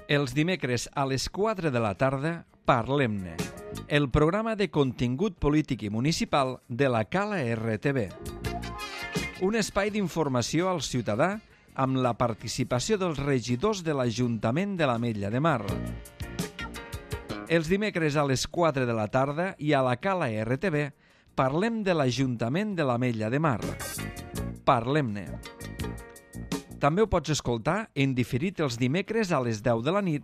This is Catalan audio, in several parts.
Els dimecres a les 4 de la tarda, Parlem-ne, el programa de contingut polític i municipal de la Cala RTV. Un espai d'informació al ciutadà amb la participació dels regidors de l'Ajuntament de l'Ametlla de Mar. Els dimecres a les 4 de la tarda i a la Cala RTV parlem de l'Ajuntament de l'Ametlla de Mar. Parlem-ne. També ho pots escoltar en diferit els dimecres a les 10 de la nit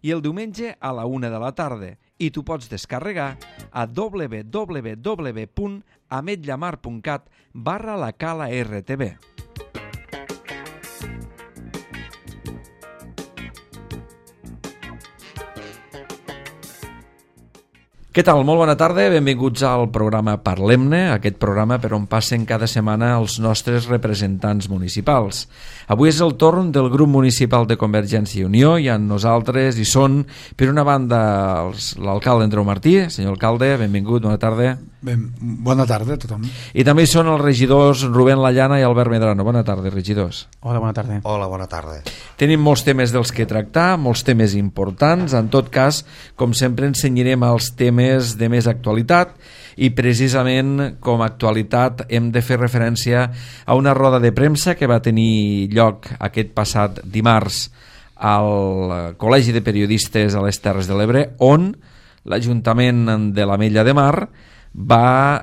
i el diumenge a la 1 de la tarda i t'ho pots descarregar a www.ametllamar.cat/la Cala RTV. Què tal? Molt bona tarda, benvinguts al programa Parlem-ne, aquest programa per on passen cada setmana els nostres representants municipals. Avui és el torn del grup municipal de Convergència i Unió, i amb nosaltres hi són, per una banda, l'alcalde Andreu Martí. Senyor alcalde, benvingut, bona tarda. Bona tarda a tothom. I també hi són els regidors Rubén Lallana i Albert Medrano. Bona tarda, regidors. Hola, bona tarda. Hola, bona tarda. Tenim molts temes dels que tractar, molts temes importants. En tot cas, com sempre, ensenyarem els temes de més actualitat i precisament com a actualitat hem de fer referència a una roda de premsa que va tenir lloc aquest passat dimarts al Col·legi de Periodistes a les Terres de l'Ebre, on l'Ajuntament de l'Ametlla de Mar va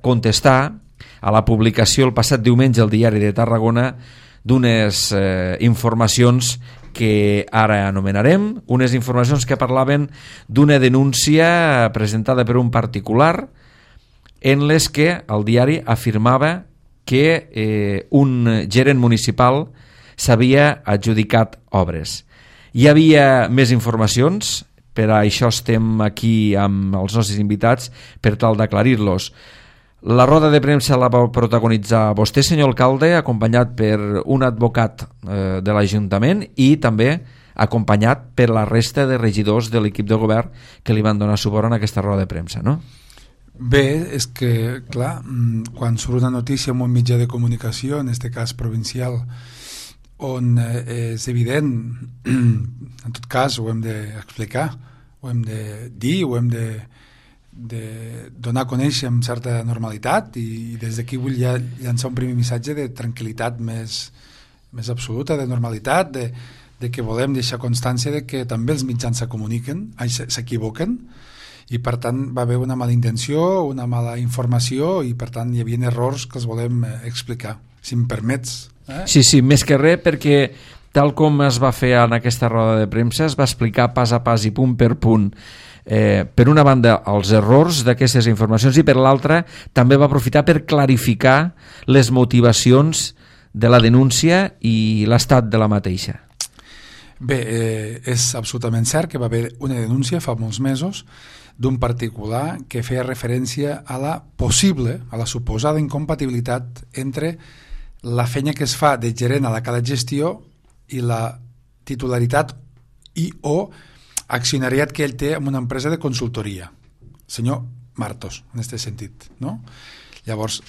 contestar a la publicació el passat diumenge al Diari de Tarragona d'unes informacions que ara anomenarem, unes informacions que parlaven d'una denúncia presentada per un particular en les que el diari afirmava que un gerent municipal s'havia adjudicat obres. Hi havia més informacions, per això estem aquí amb els nostres invitats per tal d'aclarir-los. La roda de premsa la va protagonitzar vostè, senyor alcalde, acompanyat per un advocat de l'Ajuntament i també acompanyat per la resta de regidors de l'equip de govern que li van donar suport en aquesta roda de premsa, no? Bé, és que, clar, quan surt una notícia en un mitjà de comunicació, en aquest cas provincial, on és evident, en tot cas ho hem d'explicar, ho hem de dir, ho hem de donar a conèixer amb certa normalitat, i des d'aquí vull llançar un primer missatge de tranquil·litat més absoluta, de normalitat, de que volem deixar constància de que també els mitjans s'equivoquen, i per tant va haver una mala intenció, una mala informació, i per tant hi havia errors que els volem explicar, si em permets. Sí, més que res, perquè tal com es va fer en aquesta roda de premsa, es va explicar pas a pas i punt per punt, per una banda els errors d'aquestes informacions i per l'altra també va aprofitar per clarificar les motivacions de la denúncia i l'estat de la mateixa. Bé, és absolutament cert que va haver una denúncia fa molts mesos d'un particular que feia referència a la suposada incompatibilitat entre la feina que es fa de gerent a la Cala Gestió i la titularitat i o accionariat que ell té en una empresa de consultoria, senyor Martos, en aquest sentit, no? Llavors,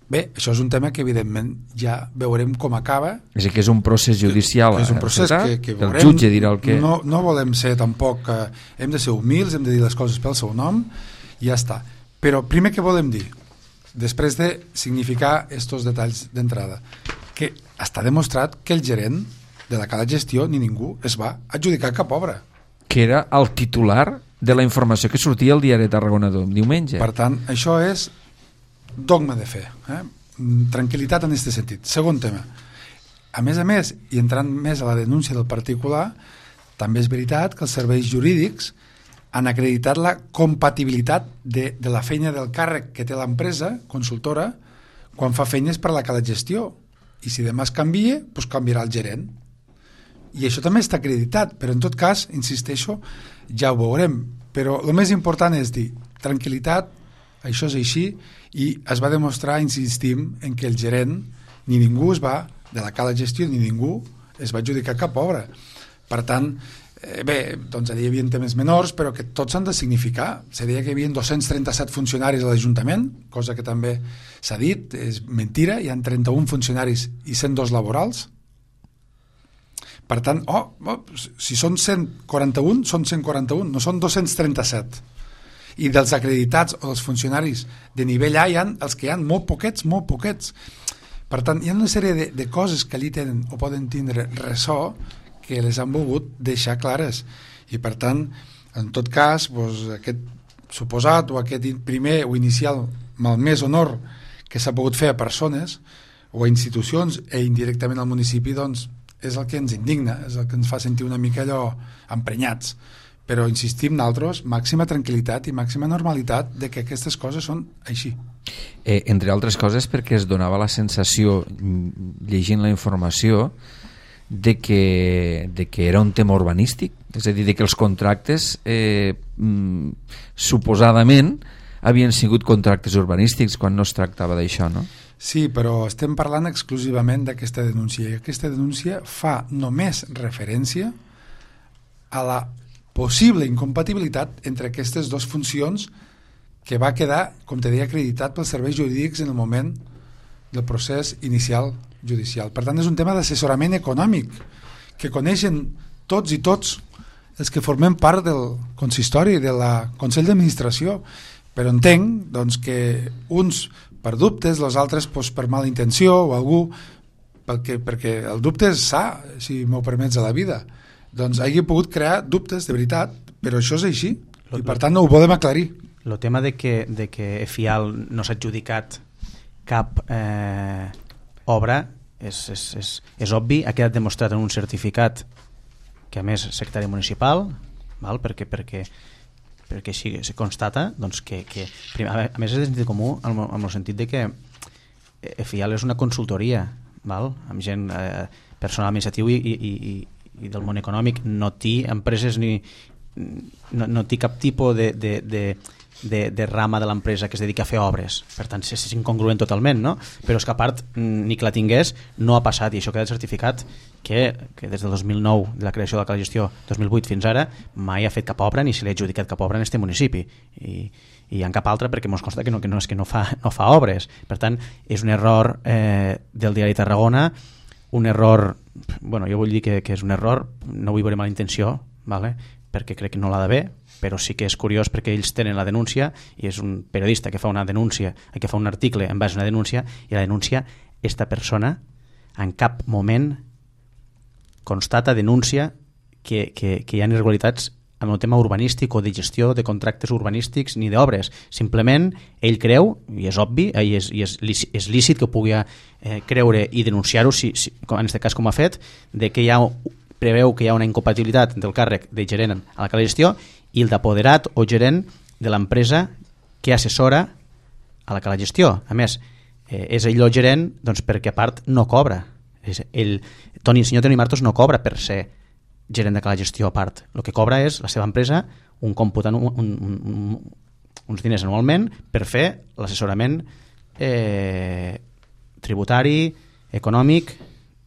bé, això és un tema que evidentment ja veurem com acaba. És a dir, que és un procés judicial. És un procés que veurem. El jutge dirà el que... No volem ser tampoc... hem de ser humils, hem de dir les coses pel seu nom i ja està. Però primer que volem dir, després de significar estos detalls d'entrada, que està demostrat que el gerent de la Cala Gestió ni ningú es va adjudicar cap obra. Que era el titular de la informació que sortia al Diari de Tarragona diumenge. Per tant, això és dogma de fe. Tranquil·litat en aquest sentit. Segon tema. A més, i entrant més a la denúncia del particular, també és veritat que els serveis jurídics han acreditat la compatibilitat de la feina del càrrec que té l'empresa consultora quan fa feines per a la Cala Gestió. I si demà es canvia, doncs canviarà el gerent. I això també està acreditat, però en tot cas, insisteixo, ja ho veurem. Però el més important és dir, tranquil·litat, això és així, i es va demostrar, insistim, en que el gerent, ni ningú de la Cala Gestió, ni ningú es va adjudicar cap obra. Per tant, bé, doncs allà hi havia temes menors, però que tots s'han de significar. Se deia que hi havia 237 funcionaris a l'Ajuntament, cosa que també s'ha dit, és mentira, hi ha 31 funcionaris i 102 laborals. Per tant, si són 141, són 141, no són 237. I dels acreditats o dels funcionaris de nivell A hi ha els que hi ha molt poquets. Per tant, hi ha una sèrie de coses que allí tenen o poden tindre ressò que les han volgut deixar clares. I per tant, en tot cas, aquest suposat o aquest primer o inicial malmès honor que s'ha pogut fer a persones o a institucions i indirectament al municipi, doncs és el que ens indigna, és el que ens fa sentir una mica allò emprenyats. Però insistim nosaltres, màxima tranquil·litat i màxima normalitat de que aquestes coses són així. Entre altres coses perquè es donava la sensació, llegint la informació, de que era un tema urbanístic, és a dir, de que els contractes suposadament havien sigut contractes urbanístics quan no es tractava d'això, no? Sí, però estem parlant exclusivament d'aquesta denúncia, i aquesta denúncia fa només referència a la possible incompatibilitat entre aquestes dues funcions que va quedar, com te deia, acreditat pels serveis jurídics en el moment del procés inicial judicial. Per tant, és un tema d'assessorament econòmic que coneixen tots i tots els que formem part del consistori, del Consell d'Administració, però entenc doncs, que uns per dubtes, els altres per mala intenció o algú, perquè el dubte és sa, si m'ho permets, a la vida. Doncs hagi pogut crear dubtes de veritat, però això és així, i per tant no ho podem aclarir. El tema de que FIAL no s'ha adjudicat cap obra és obvi, ha quedat demostrat en un certificat que a més és secretari municipal, val? perquè així se constata doncs, que a més és de sentit comú en el sentit de que FIAL és una consultoria, val? Amb gent personal administratiu i del món econòmic, no té empreses ni no té cap tipus de rama de l'empresa que es dedica a fer obres, per tant és incongruent totalment, no? Però és que a part ni que la tingués no ha passat, i això queda certificat que des del 2009 de la creació de la Cala de Gestió 2008 fins ara mai ha fet cap obra ni se li ha adjudicat cap obra en este municipi i en cap altra perquè mos consta que no fa obres. Per tant és un error del diari Tarragona, un error, bueno, jo vull dir que és un error, no vull veure mala intenció, vale? Perquè crec que no l'ha d'haver, però sí que és curiós perquè ells tenen la denúncia i és un periodista que fa una denúncia, que fa un article en base a una denúncia, i la denúncia, esta persona en cap moment constata, denuncia que hi ha irregularitats en el tema urbanístic o de gestió de contractes urbanístics ni d'obres. Simplement ell creu, i és obvi, i és lícit que pugui creure i denunciar-ho, en aquest cas com ha fet, de que preveu que hi ha una incompatibilitat del càrrec de gerent a la Cala de Gestió i el d'apoderat o gerent de l'empresa que assessora a la Cala de Gestió. A més, és ell el gerent doncs, perquè a part no cobra. El senyor Toni Martos no cobra per ser gerent de Cala de Gestió a part. El que cobra és la seva empresa un còmput, uns diners anualment per fer l'assessorament tributari, econòmic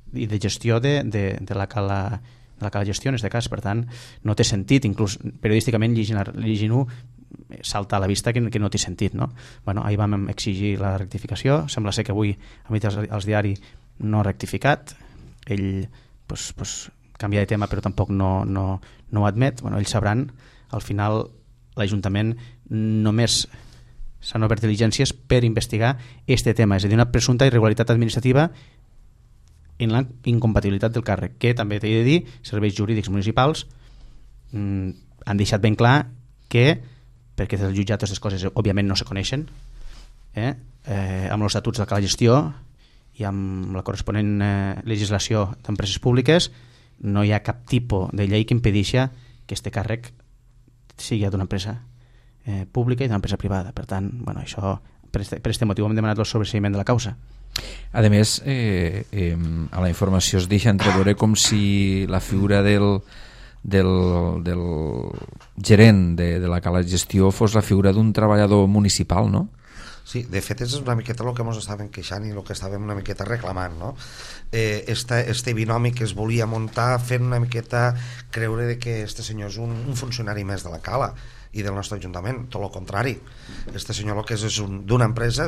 i de gestió de la Cala de Gestió en aquest cas. Per tant, no té sentit, inclús periodísticament llegint-ho salta a la vista que no té sentit, no? Bueno, ahir vam exigir la rectificació, sembla ser que avui a mig als diaris no ha rectificat, ell canvia de tema però tampoc no ho admet. Bueno, ells sabran, al final l'Ajuntament només s'han obert diligències per investigar este tema, és a dir, una presumpta irregularitat administrativa en la incompatibilitat del càrrec, que també t'he de dir, serveis jurídics municipals han deixat ben clar que, perquè des del jutjat aquestes coses òbviament no se coneixen, amb els estatuts de la Cala de Gestió i amb la corresponent legislació d'empreses públiques no hi ha cap tipus de llei que impedeixi que este càrrec sigui d'una empresa pública i d'una empresa privada. Per tant, bueno, això, per aquest motiu hem demanat el sobreseïment de la causa. A més, a la informació es deixa entreveure com si la figura del gerent de la Cala de Gestió fos la figura d'un treballador municipal, no? Sí, de fet és una miqueta el que ens estàvem queixant i el que estàvem una miqueta reclamant, no? Este binomi que es volia muntar fent una miqueta creure que este senyor és un funcionari més de la Cala i del nostre Ajuntament, tot el contrari. Este senyor el que és d'una empresa,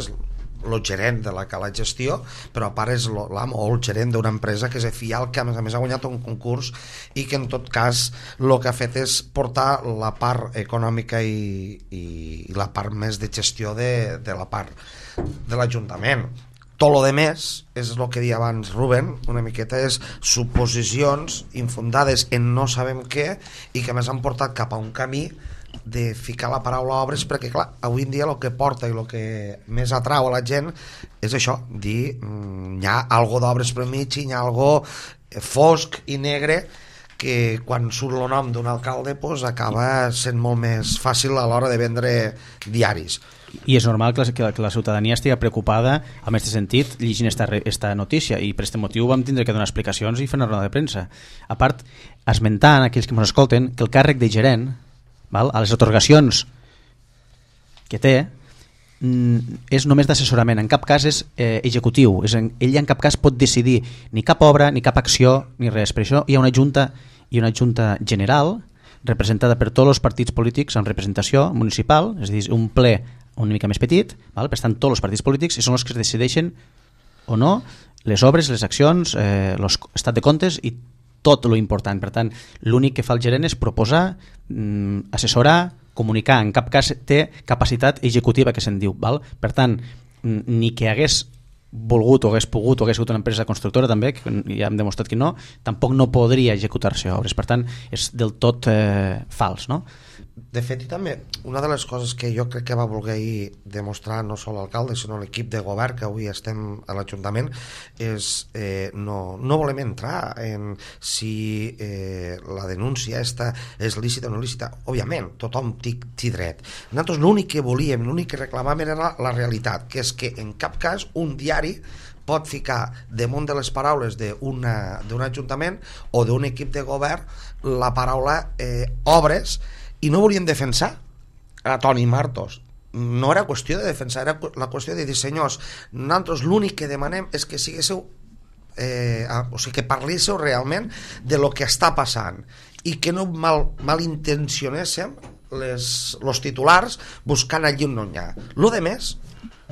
el gerent de la gestió, però a part és l'amo o el gerent d'una empresa que és Efial, que a més ha guanyat un concurs i que en tot cas el que ha fet és portar la part econòmica i la part més de gestió de la part de l'Ajuntament. Tot lo de més és el que deia abans Rubén, una miqueta és suposicions infundades en no sabem què i que més han portat cap a un camí de ficar la paraula obres, perquè clar, avui en dia el que porta i el que més atrau a la gent és això, dir hi ha algo d'obres per mig i hi ha algo fosc i negre que quan surt el nom d'un alcalde pues, acaba sent molt més fàcil a l'hora de vendre diaris. I és normal que la ciutadania estigui preocupada en aquest sentit llegint esta notícia, i per aquest motiu vam tindre que donar explicacions i fer una roda de premsa. A part, esmentant aquells que ens escolten que el càrrec de gerent, val, a les atorgacions que té, és només d'assessorament, en cap cas és executiu, ell en cap cas pot decidir ni cap obra, ni cap acció, ni res. Per això hi ha una junta general representada per tots els partits polítics en representació municipal, és a dir, un ple una mica més petit, val? Per tant tots els partits polítics i són els que decideixen o no les obres, les accions, l'estat de comptes i tot lo important. Per tant, l'únic que fa el gerent és proposar, assessorar, comunicar, en cap cas té capacitat executiva que se'n diu, val? Per tant, ni que hagués volgut o hagués pogut o hagués sigut una empresa constructora també, que ja hem demostrat que no, tampoc no podria executar-se obres, per tant és del tot fals, no? De fet, i també una de les coses que jo crec que va voler demostrar no sol l'alcalde sinó l'equip de govern que avui estem a l'Ajuntament és no volem entrar en si la denúncia esta és lícita o no lícita. Òbviament, tothom té dret. Nosaltres l'únic que volíem, l'únic que reclamàvem era la realitat, que és que en cap cas un diari pot ficar damunt de les paraules d'un ajuntament o d'un equip de govern la paraula obres, i no volíem defensar a Toni Martos. No era qüestió de defensar, era la qüestió de dir, senyors, nosaltres l'únic que demanem és que siguéssiu o sigui, que parléssiu realment de lo que està passant i que no malintencionéssim els titulars buscant allí on no hi ha. Lo de més,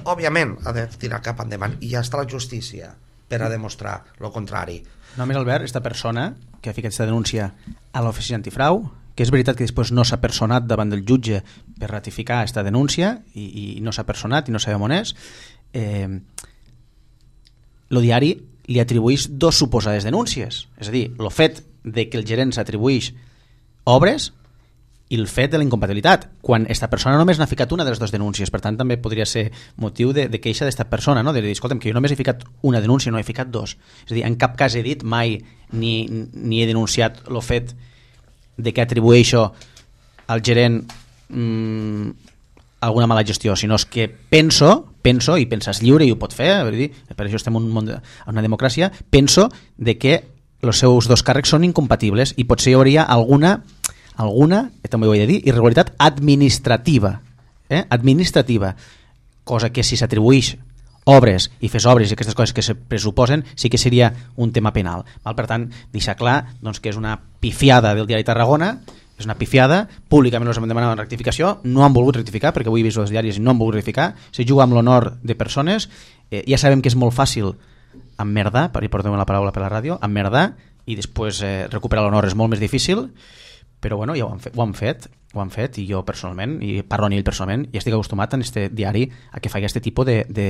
òbviament, ha de tirar cap endavant i ja està la justícia per a demostrar lo contrari. Només, Albert, esta persona que ha ficat aquesta denúncia a l'oficina antifrau, que és veritat que després no s'ha personat davant del jutge per ratificar aquesta denúncia i no s'ha personat i no sabem on és, el diari li atribueix dos suposades denúncies, és a dir, el fet de que el gerent s'atribueix obres i el fet de la incompatibilitat, quan aquesta persona només n'ha ficat una de les dues denúncies. Per tant també podria ser motiu de queixa d'esta persona, no? De dir, escolta'm, que jo només he ficat una denúncia, no he ficat dos. És a dir, en cap cas he dit mai ni he denunciat el fet de que atribueixo al gerent alguna mala gestió, sinó que penso i penses lliure i ho pot fer, per això estem en una democràcia, penso de que els seus dos càrrecs són incompatibles i potser hi hauria alguna, també ho he de dir, irregularitat administrativa, cosa que si s'atribueix obres i fes obres i aquestes coses que se pressuposen sí que seria un tema penal, val? Per tant, deixar clar doncs, que és una pifiada del diari Tarragona, és una pifiada, públicament els hem demanat rectificació, no han volgut rectificar perquè avui he vist els diaris i no han volgut rectificar, se juga amb l'honor de persones, ja sabem que és molt fàcil emmerdar, i portem la paraula per la ràdio, emmerdar i després recuperar l'honor és molt més difícil, però bueno, ja ho han fet i jo personalment, i parlo a ell personalment, i estic acostumat en este diari a que faci aquest tipus de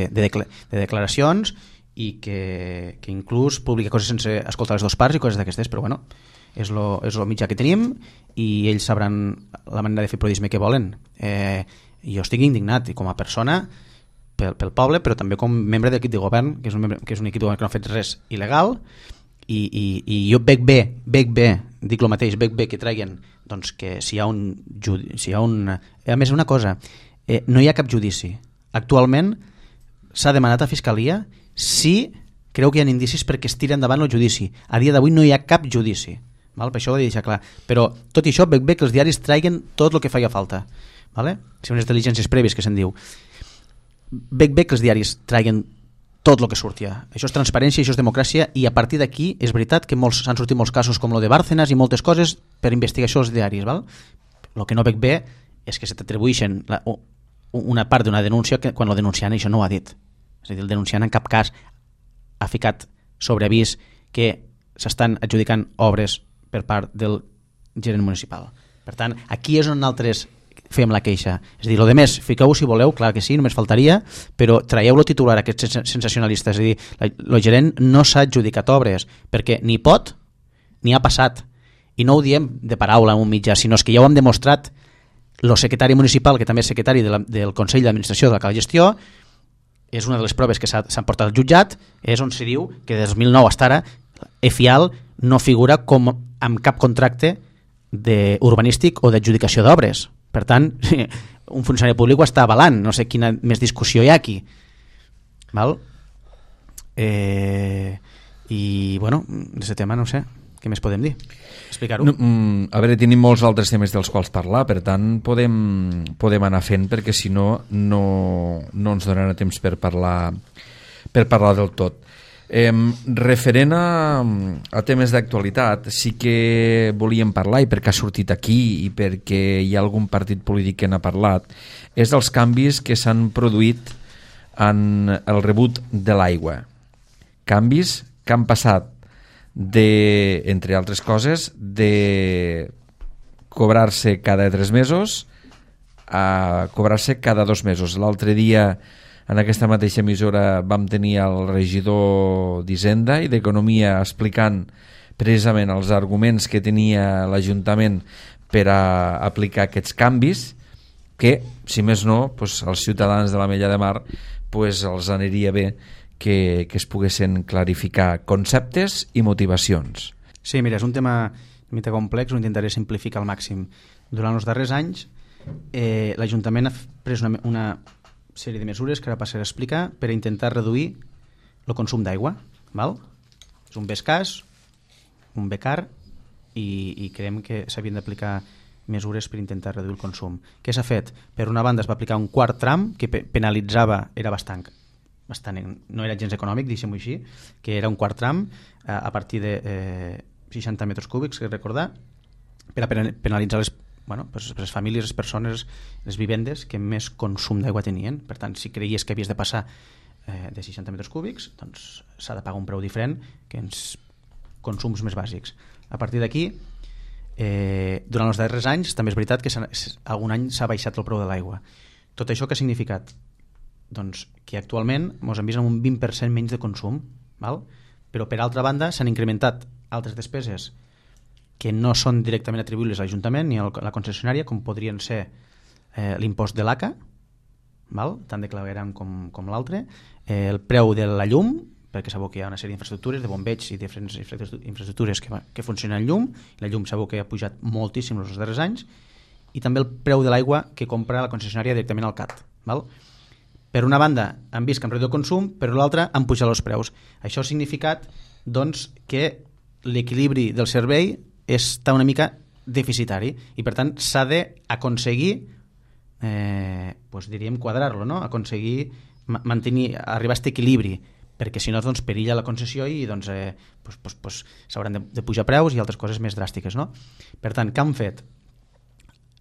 declaracions i que inclús publica coses sense escoltar les dues parts i coses d'aquestes, però bueno, és el mitjà que tenim i ells sabran la manera de fer periodisme que volen. Jo estic indignat i com a persona pel poble, però també com membre de l'equip de govern, que és un equip de govern que no ha fet res il·legal, i jo veig bé, dic el mateix, veig bé que traguin doncs que si hi ha a més una cosa, no hi ha cap judici actualment. S'ha demanat a Fiscalia si creu que hi ha indicis perquè es tira endavant el judici. A dia d'avui no hi ha cap judici, val? Per això ho he de deixar clar, però tot i això veig bé que els diaris traguin tot el que feia falta, vale? Si unes diligències prèvies que se'n diu, veig bé que els diaris traguin tot el que sortia. Això és transparència, això és democràcia, i a partir d'aquí és veritat que s'han sortit molts casos com el de Bárcenas i moltes coses per investigació als diaris, val? El que no veig bé és que se t'atribueixen una part d'una denúncia que quan el denunciant això no ho ha dit. És a dir, el denunciant en cap cas ha ficat sobre avís que s'estan adjudicant obres per part del gerent municipal. Per tant, aquí és on nosaltres fem la queixa. És a dir, el més, fiqueu si voleu, clar que sí, només faltaria, però traieu-lo titular, aquest sensacionalista. És a dir, el gerent no s'ha adjudicat obres, perquè ni pot ni ha passat. I no ho diem de paraula en un mitjà, sinó que ja ho hem demostrat. El secretari municipal, que també és secretari del Consell d'Administració de la Cal Gestió, és una de les proves que s'han portat al jutjat, és on se diu que des del 2009 fins ara EFIAL no figura com amb cap contracte urbanístic o d'adjudicació d'obres. Per tant, un funcionari públic ho està avalant, no sé quina més discussió hi ha aquí. Val? I, bueno, d'aquest tema no sé, què més podem dir? Explicar-ho? No, a veure, tenim molts altres temes dels quals parlar, per tant podem anar fent, perquè si no ens donarà temps per parlar del tot. Referent a temes d'actualitat, sí que volíem parlar, i perquè ha sortit aquí i perquè hi ha algun partit polític que n'ha parlat, és dels canvis que s'han produït en el rebut de l'aigua. Canvis que han passat entre altres coses, de cobrar-se cada 3 mesos a cobrar-se cada 2 mesos. L'altre dia, en aquesta mateixa emissora, vam tenir el regidor d'Hisenda i d'Economia explicant precisament els arguments que tenia l'Ajuntament per a aplicar aquests canvis, que, si més no, doncs, als ciutadans de l'Ametlla de Mar doncs, els aniria bé que es poguessin clarificar conceptes i motivacions. Sí, mira, és un tema una mica complex, ho intentaré simplificar al màxim. Durant els darrers anys, l'Ajuntament ha pres una sèrie de mesures que ara passaré a explicar per a intentar reduir el consum d'aigua. És un bé escàs, un bé car, i creiem que s'havien d'aplicar mesures per intentar reduir el consum. Què s'ha fet? Per una banda es va aplicar un quart tram que penalitzava, era bastant, no era gens econòmic, deixem-ho així, que era un quart tram a partir de 60 metres cúbics, que recordar, per a penalitzar les famílies, les persones, les vivendes que més consum d'aigua tenien. Per tant, si creies que havies de passar de 60 metres cúbics, doncs s'ha de pagar un preu diferent que ens consums més bàsics. A partir d'aquí, durant els darrers anys, també és veritat que algun any s'ha baixat el preu de l'aigua. Tot això què ha significat? Doncs que actualment ens hem vist amb un 20% menys de consum, però per altra banda s'han incrementat altres despeses que no són directament atribuïbles a l'Ajuntament ni a la concessionària, com podrien ser l'impost de l'ACA, tant de clavegueram com l'altre, el preu de la llum, perquè sabeu que hi ha una sèrie d'infraestructures, de bombeig i diferents infraestructures que funcionen en llum, i la llum sabeu que ha pujat moltíssim els darrers anys, i també el preu de l'aigua que compra la concessionària directament al CAT. Per una banda han vist que han reduït el consum, per l'altra han pujat els preus. Això ha significat doncs, que l'equilibri del servei està una mica deficitari i per tant s'ha d'aconseguir diríem quadrar-lo, no? Aconseguir mantenir, arribar a aquest equilibri, perquè si no doncs, perilla la concessió i doncs, s'hauran de pujar preus i altres coses més dràstiques, no? Per tant, què han fet?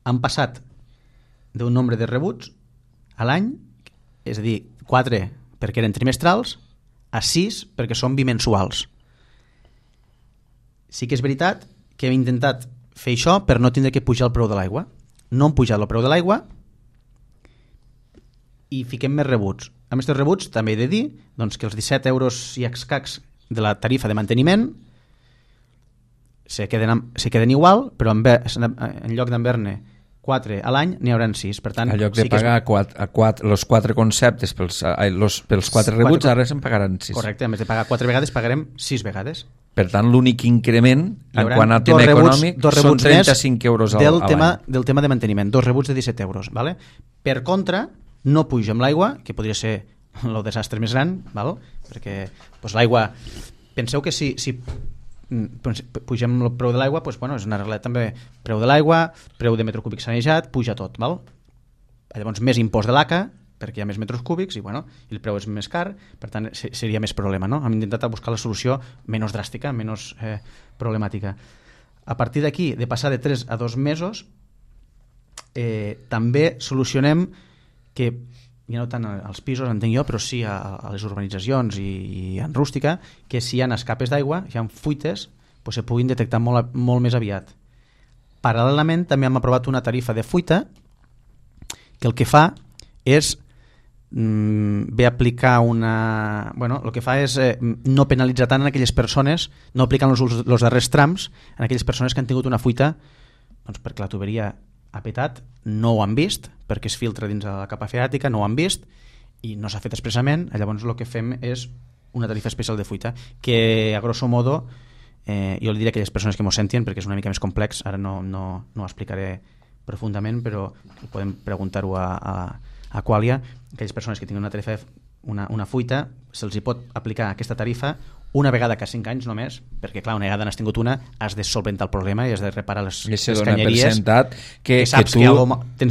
Han passat d'un nombre de rebuts a l'any, és a dir, 4 perquè eren trimestrals, a 6 perquè són bimensuals. Sí que és veritat que hem intentat fer això per no tindre que pujar el preu de l'aigua. No hem pujat el preu de l'aigua i fiquem més rebuts. Amb aquests rebuts també he de dir doncs, que els 17 euros i escacs de la tarifa de manteniment se queden igual, però en lloc d'haver-ne 4 a l'any, n'hi haurà 6. Per tant, en lloc de pagar els 4 conceptes pels 4 rebuts, ara se'n pagaran 6. Correcte, en vez de pagar 4 vegades, pagarem 6 vegades. Per tant, l'únic increment en quant a tema econòmic són 35 euros a l'any. Del tema de manteniment, 2 rebuts de 17 euros. Vale? Per contra, no puja amb l'aigua, que podria ser el desastre més gran, val? Perquè doncs, l'aigua... Penseu que si pugem el preu de l'aigua, doncs, és una regla també, preu de l'aigua, preu de metro cúbic sanejat, puja tot, val? Llavors més impost de l'ACA, perquè hi ha més metres cúbics i el preu és més car, per tant seria més problema, no? Hem intentat buscar la solució menys dràstica, menys problemàtica. A partir d'aquí, de passar de 3 a 2 mesos, també solucionem que ja no tant als pisos, entenc jo, però sí a les urbanitzacions i en rústica, que si hi ha escapes d'aigua, si hi ha fuites, se puguin detectar molt més aviat. Paral·lelament també hem aprovat una tarifa de fuita que el que fa és ve a aplicar una... Bueno, el que fa és no penalitzar tant en aquelles persones, no aplicant els darrers trams en aquelles persones que han tingut una fuita doncs perquè la tuberia ha petat, no ho han vist, perquè es filtra dins de la capa freàtica, no ho han vist i no s'ha fet expressament. Llavors el que fem és una tarifa especial de fuita que a grosso modo jo li diré a aquelles persones que m'ho sentin perquè és una mica més complex, ara no ho explicaré profundament, però podem preguntar-ho a Qualia. Aquelles persones que tinguin una tarifa, una fuita, se'ls hi pot aplicar aquesta tarifa una vegada cada 5 anys només, perquè clar, una vegada n'has tingut una, has de solventar el problema i has de reparar les canyeries que tu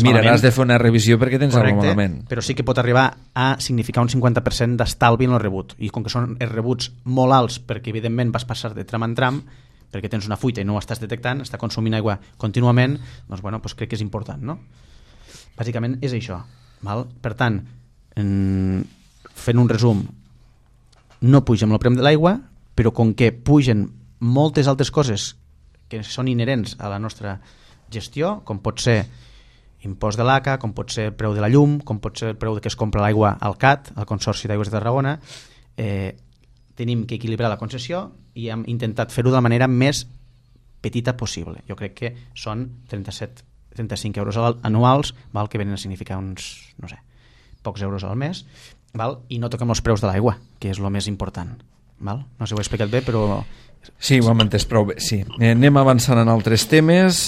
miraràs de fer una revisió perquè tens alguna cosa malament. Però sí que pot arribar a significar un 50% d'estalvi en el rebut, i com que són els rebuts molt alts perquè evidentment vas passar de tram en tram perquè tens una fuita i no ho estàs detectant, està consumint aigua contínuament, doncs, bueno, doncs crec que és important, no? Bàsicament és això, val? Per tant, fent un resum, no pugen el preu de l'aigua, però com que pugen moltes altres coses que són inherents a la nostra gestió, com pot ser impost de l'ACA, com pot ser el preu de la llum, com pot ser el preu que es compra l'aigua al CAT, al Consorci d'Aigües de Tarragona, tenim que equilibrar la concessió i hem intentat fer-ho de la manera més petita possible. Jo crec que són 35 euros anuals, val, que venen a significar uns, no sé, pocs euros al mes, val? I no toquem els preus de l'aigua, que és el més important. Val? No sé si ho he explicat bé, però... Sí, ho hem entès prou bé, sí. Anem avançant en altres temes,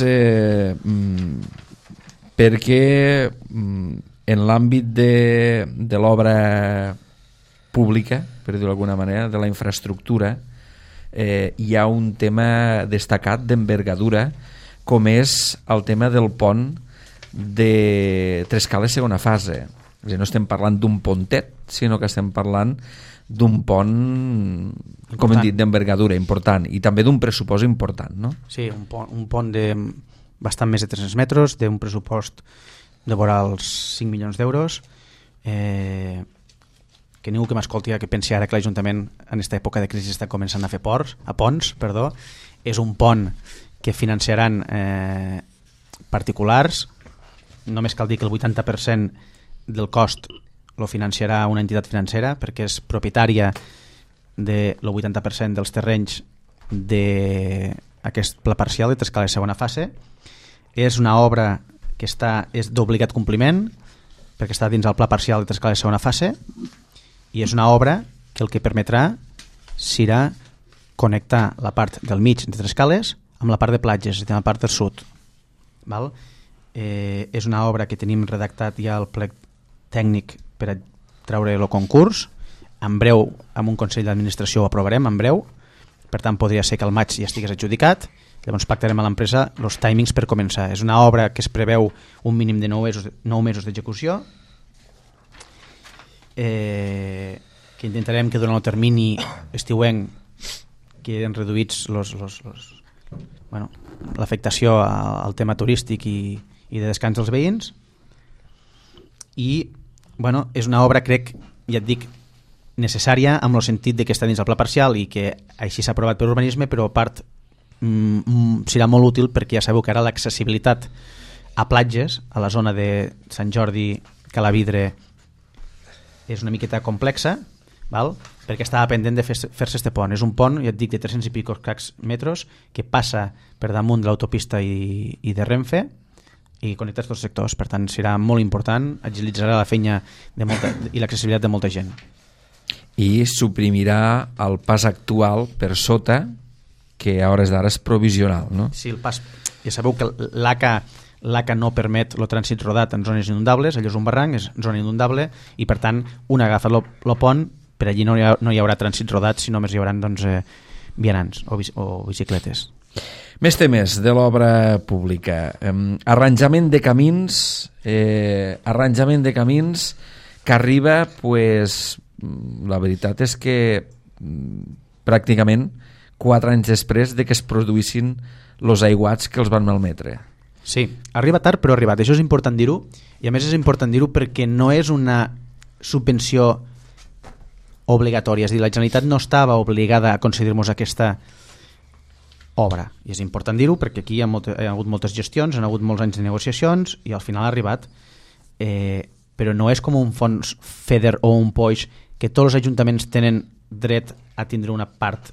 perquè en l'àmbit de l'obra pública, per dir-ho d'alguna manera, de la infraestructura, hi ha un tema destacat d'envergadura, com és el tema del pont de Trescales segona fase. És a dir, no estem parlant d'un pontet, sinó que estem parlant d'un pont, com hem dit, d'envergadura important i també d'un pressupost important, no? Sí, un pont de bastant més de 300 metres, d'un pressupost de vora els 5 milions d'euros, que ningú que m'escolti que pensi ara que l'Ajuntament en aquesta època de crisi està començant a fer ponts, és un pont que financiaran particulars, només cal dir que el 80% del cost lo financiarà una entitat financera perquè és propietària del 80% dels terrenys d'aquest pla parcial de Trescales segona fase. És una obra que és d'obligat compliment perquè està dins el pla parcial de Trescales segona fase i és una obra que el que permetrà serà connectar la part del mig de Trescales amb la part de platges, és a dir, la part del sud. Val? És una obra que tenim redactat ja el plec tècnic per a treure el concurs. En breu, amb un Consell d'Administració ho aprovarem, en breu. Per tant, podria ser que al maig ja estigués adjudicat. Llavors pactarem a l'empresa els timings per començar. És una obra que es preveu un mínim de 9 mesos d'execució, que intentarem que durant el termini estiuenc queden reduïts l'afectació al tema turístic i de descans dels veïns. I és una obra, crec, ja et dic, necessària amb el sentit de que està dins el pla parcial i que així s'ha aprovat per urbanisme, però a part serà molt útil perquè ja sabeu que ara l'accessibilitat a platges, a la zona de Sant Jordi, Calavidre, és una miqueta complexa, val? Perquè estava pendent de fer-se este pont. És un pont, ja et dic, de 300 i pico metres que passa per damunt de l'autopista i de Renfe i connecta tots els sectors. Per tant, serà molt important, agilitzarà la feina i l'accessibilitat de molta gent. I suprimirà el pas actual per sota, que a hores d'ara és provisional, no? Sí, el pas... Ja sabeu que l'ACA no permet el trànsit rodat en zones inundables, allò és un barranc, és zona inundable, i per tant, un agafa el pont, per allí no hi haurà trànsit rodat, sinó només hi haurà vianants o bicicletes. Més temes de l'obra pública. Arranjament de camins que arriba, pues, la veritat és que pràcticament 4 anys després de que es produïssin els aiguats que els van malmetre. Sí, arriba tard però ha arribat, això és important dir-ho, i a més és important dir-ho perquè no és una subvenció obligatòria, és a dir, la Generalitat no estava obligada a concedir-nos aquesta obra, i és important dir-ho perquè aquí hi ha hagut moltes gestions, hi ha hagut molts anys de negociacions i al final ha arribat, però no és com un fons FEDER o un POIX que tots els ajuntaments tenen dret a tindre una part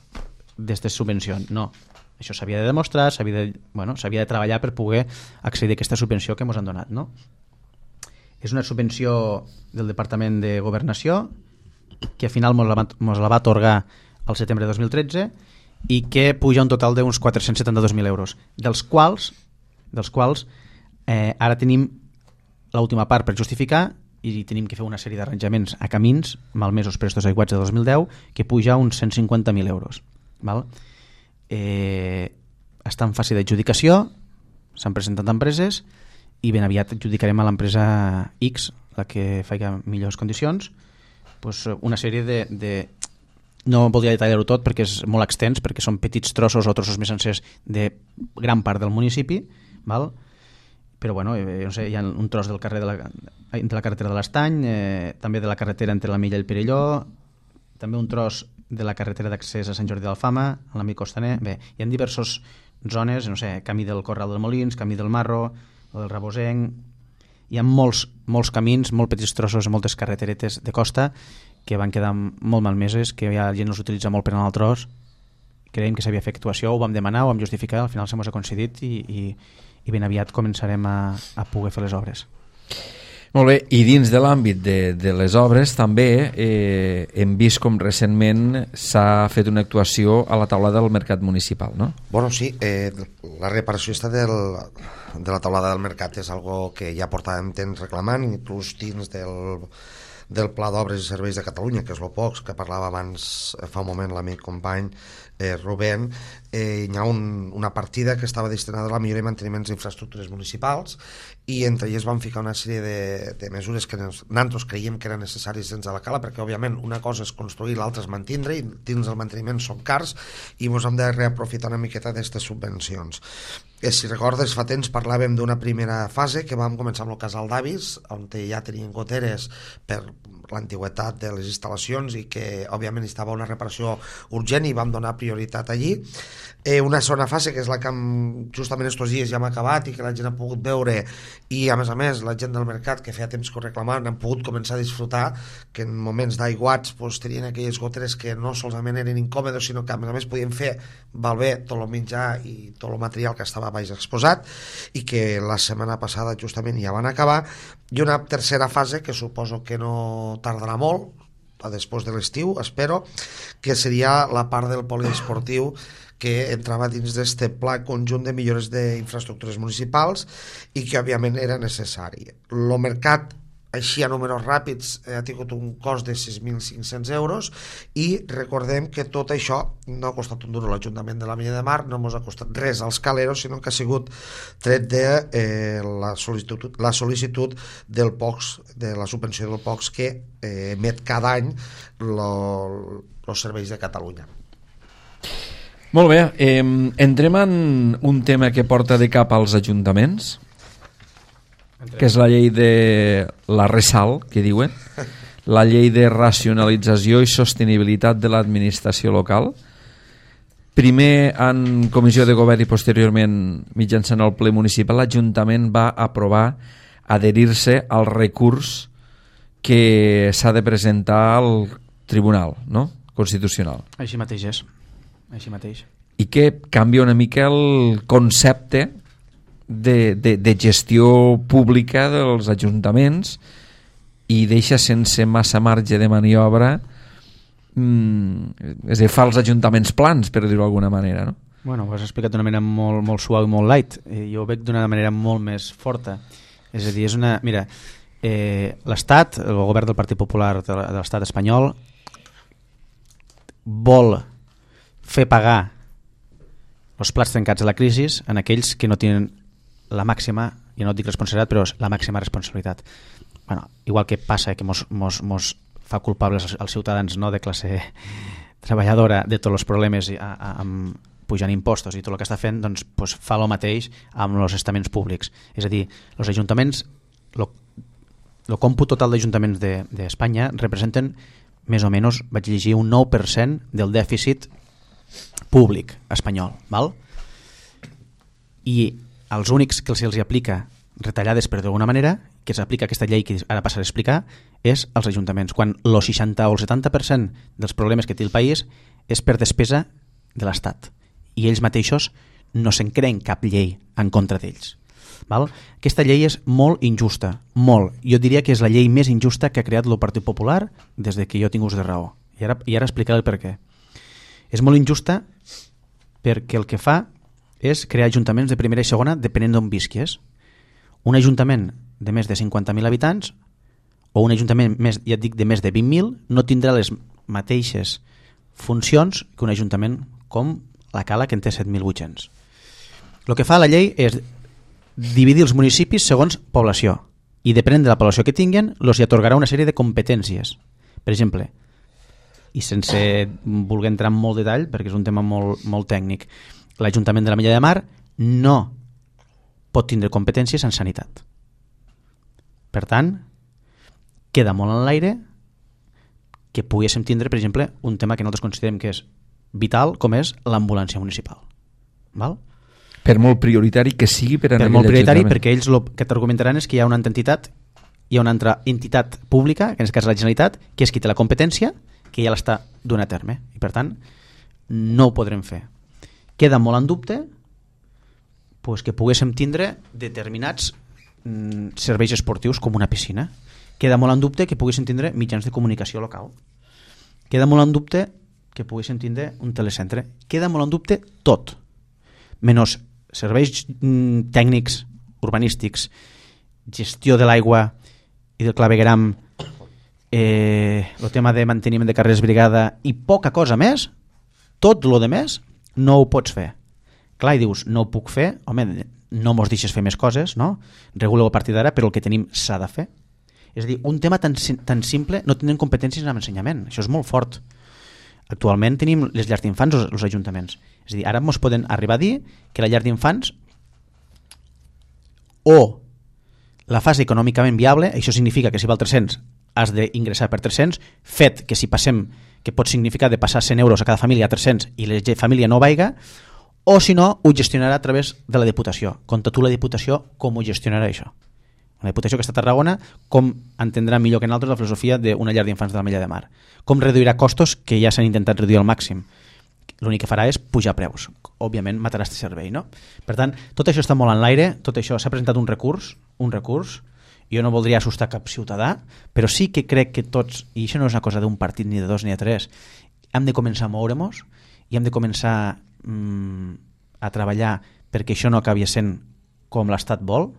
d'aquestes subvencions, no. Això s'havia de demostrar, s'havia de treballar per poder accedir a aquesta subvenció que ens han donat, no? És una subvenció del Departament de Governació que al final ens la va atorgar al setembre de 2013 i que puja un total d'uns 472.000 euros, dels quals ara tenim l'última part per justificar i tenim que fer una sèrie d'arranjaments a camins malmesos per estos aiguats de 2010 que puja uns 150.000 euros. Val? Està en fase d'adjudicació, s'han presentat empreses i ben aviat adjudicarem a l'empresa X, la que faci millors condicions, pues una sèrie de no voldria detallar-ho tot perquè és molt extens, perquè són petits trossos o trossos més sencers de gran part del municipi, val? Però bueno, no sé, hi ha un tros del carrer entre la carretera de l'Estany, també de la carretera entre la Milla i el Perelló, també un tros de la carretera d'accés a Sant Jordi d'Alfama, a l'Amic Costaner. Bé, hi ha diverses zones, no sé, camí del Corral dels Molins, camí del Marro, o del Rabosenc. Hi ha molts camins, molt petits trossos, moltes carreteretes de costa que van quedar molt malmeses, que ja la gent els utilitza molt per anar al tros. Creiem que s'havia fet actuació, ho vam demanar, ho vam justificar, al final se mos ha concedit i ben aviat començarem a poder fer les obres. Molt bé, i dins de l'àmbit de les obres també hem vist com recentment s'ha fet una actuació a la taulada del mercat municipal, no? Bueno, sí, la reparació de la taulada del mercat és algo que ja portàvem temps reclamant, inclús dins del Pla d'Obres i Serveis de Catalunya, que és el POCS, que parlava abans fa un moment l'amic company Rubén. Hi ha una partida que estava destinada a la millora i manteniment d'infraestructures municipals i entre elles van ficar una sèrie de mesures que nosaltres creiem que eren necessàries dins de la cala, perquè òbviament una cosa és construir, l'altra és mantindre, i dins del manteniment són cars i ens hem de reaprofitar una miqueta d'aquestes subvencions. Si recordes, fa temps parlàvem d'una primera fase que vam començar amb el casal d'Avis, on ja tenien goteres per l'antigüetat de les instal·lacions i que òbviament estava una reparació urgent i vam donar prioritat allí. Una segona fase, que és la que justament estos dies ja hem acabat i que la gent ha pogut veure, i a més la gent del mercat, que feia temps que ho reclamaven, han pogut començar a disfrutar que en moments d'aiguats tenien aquelles goteres que no solament eren incòmodes, sinó que a més podien fer malbé tot el menjar i tot el material que estava baix exposat, i que la setmana passada justament ja van acabar. I una tercera fase que suposo que no tardarà molt, després de l'estiu, espero, que seria la part del poliesportiu que entrava dins d'aquest pla conjunt de millores d'infraestructures municipals i que òbviament era necessari. El mercat, així a números ràpids, ha tingut un cost de 6.500 euros i recordem que tot això no ha costat un duro a l'Ajuntament de la Milla de Mar, no ens ha costat res als caleros, sinó que ha sigut tret de la sol·licitud del POCS, de la subvenció del POCS que emet cada any els serveis de Catalunya. Molt bé, entrem en un tema que porta de cap als ajuntaments, que és la llei de la RESAL, que diuen, la llei de racionalització i sostenibilitat de l'administració local. Primer en comissió de govern i posteriorment mitjançant el ple municipal, l'Ajuntament va aprovar adherir-se al recurs que s'ha de presentar al Tribunal, no? Constitucional. Així mateix és. Així mateix. I que canvia una mica el concepte de gestió pública dels ajuntaments i deixa sense massa marge de maniobra, és a dir, fa els ajuntaments plans, per dir-ho d'alguna manera, no? Bueno, ho has explicat d'una manera molt, molt suau i molt light. Jo ho veig d'una manera molt més forta. És a dir, és una... Mira, l'Estat, el govern del Partit Popular de l'Estat espanyol vol fer pagar els plats trencats de la crisi en aquells que no tenen la màxima, jo no dic responsabilitat, però la màxima responsabilitat. Bueno, igual que passa que mos fa culpables als ciutadans, no, de classe treballadora de tots els problemes pujant impostos i tot el que està fent, doncs, fa el mateix amb els estaments públics. És a dir, els ajuntaments, el còmput total d'ajuntaments d'Espanya representen més o menys, vaig llegir, un 9% del dèficit públic espanyol. Val? I els únics que se'ls aplica retallades per d'alguna manera, que s'aplica aquesta llei que ara passaré a explicar, és als ajuntaments, quan el 60 o el 70% dels problemes que té el país és per despesa de l'Estat. I ells mateixos no se'n creen cap llei en contra d'ells. Val? Aquesta llei és molt injusta, molt. Jo diria que és la llei més injusta que ha creat el Partit Popular des de que jo tinc ús de raó. I ara explicaré el per què. És molt injusta perquè el que fa és crear ajuntaments de primera i segona depenent d'on visquis. Un ajuntament de més de 50.000 habitants o un ajuntament més, ja et dic, de més de 20.000 no tindrà les mateixes funcions que un ajuntament com la Cala, que en té 7.800. El que fa la llei és dividir els municipis segons població i depenent de la població que tinguen els hi atorgarà una sèrie de competències. Per exemple, i sense voler entrar en molt detall perquè és un tema molt tècnic, l'Ajuntament de l'Ametlla de Mar no pot tindre competències en sanitat. Per tant, queda molt en l'aire que poguéssim tindre, per exemple, un tema que nosaltres considerem que és vital, com és l'ambulància municipal. Val? Per molt prioritari que sigui per a molt prioritari, perquè ells el que t'argumentaran és que hi ha una entitat, hi ha una altra entitat pública, que en aquest cas la Generalitat, que és qui té la competència, que ja l'està donant a terme, i per tant no ho podrem fer. Queda molt en dubte pues, que poguéssim tindre determinats serveis esportius com una piscina. Queda molt en dubte que poguéssim tindre mitjans de comunicació local. Queda molt en dubte que poguéssim tindre un telecentre. Queda molt en dubte tot, menys serveis tècnics, urbanístics, gestió de l'aigua i del clavegueram, el tema de manteniment de carreres brigada i poca cosa més. Tot el de més no ho pots fer. Clar, i dius, no ho puc fer, home, no mos deixes fer més coses, no? Reguleu a partir d'ara, però el que tenim s'ha de fer. És a dir, un tema tan simple, no tenen competències en ensenyament. Això és molt fort. Actualment tenim les llars d'infants als ajuntaments. És a dir, ara ens poden arribar a dir que la llar d'infants o la fase econòmicament viable, això significa que si val 300 has d'ingressar per 300, fet que si passem, que pot significar de passar 100 euros a cada família a 300 i la família no vaiga, o si no, ho gestionarà a través de la Diputació. Conta tu la Diputació com ho gestionarà això. La Diputació que està a Tarragona, com entendrà millor que nosaltres la filosofia d'una llar d'infants de l'Ametlla de Mar. Com reduirà costos que ja s'han intentat reduir al màxim. L'únic que farà és pujar preus. Òbviament matarà aquest servei, no? Per tant, tot això està molt en l'aire, tot això s'ha presentat un recurs, jo no voldria assustar cap ciutadà, però sí que crec que tots, i això no és una cosa d'un partit ni de dos ni de tres, hem de començar a moure-nos i hem de començar a treballar perquè això no acabi sent com l'Estat vol,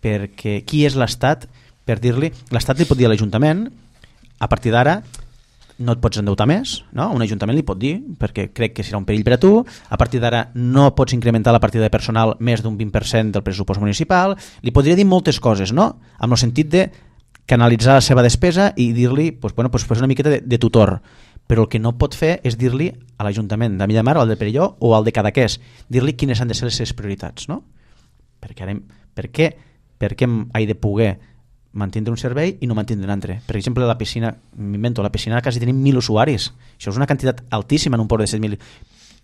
perquè qui és l'Estat per dir-li, l'Estat li pot dir a l'Ajuntament a partir d'ara no et pots endeutar més, no? Un ajuntament li pot dir, perquè crec que serà un perill per a tu, a partir d'ara no pots incrementar la partida de personal més d'un 20% del pressupost municipal, li podria dir moltes coses, no? Amb el sentit de canalitzar la seva despesa i dir-li pues una miqueta de tutor, però el que no pot fer és dir-li a l'Ajuntament d'Ametlla de Mar o al de Perelló o al de Cadaqués, dir-li quines han de ser les seves prioritats, no? Per què he de poder mantindre un servei i no mantindre un altre? Per exemple, la piscina, m'invento, la piscina quasi tenim 1.000 usuaris. Això és una quantitat altíssima en un port de 7.000.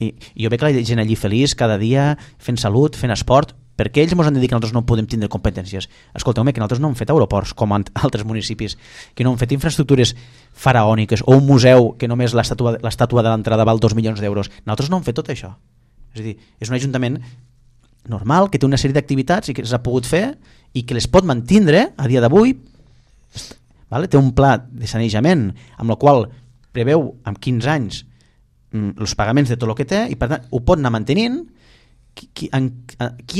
I jo veig la gent allí feliç cada dia, fent salut, fent esport. Per què ells ens han de dir que nosaltres no podem tindre competències? Escolteu-me, que nosaltres no hem fet aeroports com altres municipis, que no hem fet infraestructures faraòniques o un museu que només l'estàtua de l'entrada val 2 milions d'euros. Nosaltres no hem fet tot això. És a dir, és un ajuntament normal, que té una sèrie d'activitats i que s'ha pogut fer i que les pot mantindre a dia d'avui, vale? Té un pla de sanejament amb el qual preveu amb 15 anys els pagaments de tot el que té i per tant ho pot anar mantenint. Qui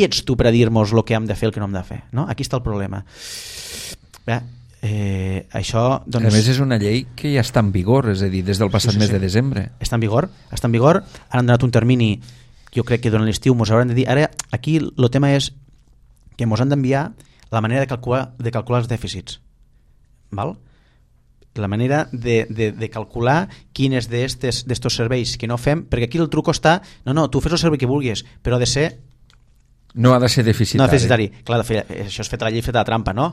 ets tu per a dir-nos el que hem de fer i el que no hem de fer? No? Aquí està el problema. Això, doncs, a més és una llei que ja està en vigor, és a dir, des del passat mes de desembre. Està en vigor, ara han donat un termini, jo crec que durant l'estiu ens hauran de dir, ara aquí el tema és que ens han d'enviar la manera de calcular els dèficits. Val? la manera de calcular quines d'estos serveis que no fem, perquè aquí el truc està, no, tu fes el servei que vulguis, però ha de ser... No ha de ser deficitari. No deficitari. Clar, això és fet a la llei, feta la trampa, no?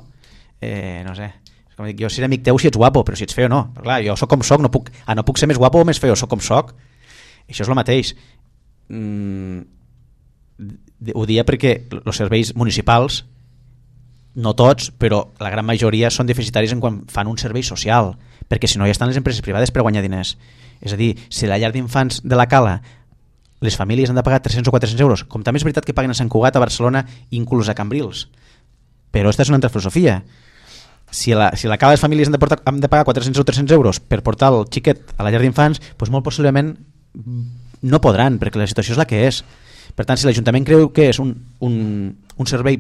No sé. Com dic, jo seré amic teu si ets guapo, però si ets feo no. Però clar, jo soc com soc, no puc ser més guapo o més feo, soc com soc. Això és el mateix. Ho dia perquè els serveis municipals, no tots, però la gran majoria són deficitaris en quan fan un servei social, perquè si no ja estan les empreses privades per guanyar diners. És a dir, si la llar d'infants de la Cala les famílies han de pagar 300 o 400 euros, com també és veritat que paguen a Sant Cugat, a Barcelona, inclús a Cambrils, però aquesta és una altra filosofia. Si la Cala les famílies han de pagar 400 o 300 euros per portar el xiquet a la llar d'infants, doncs molt possiblement no podran, perquè la situació és la que és. Per tant, si l'Ajuntament creu que és un servei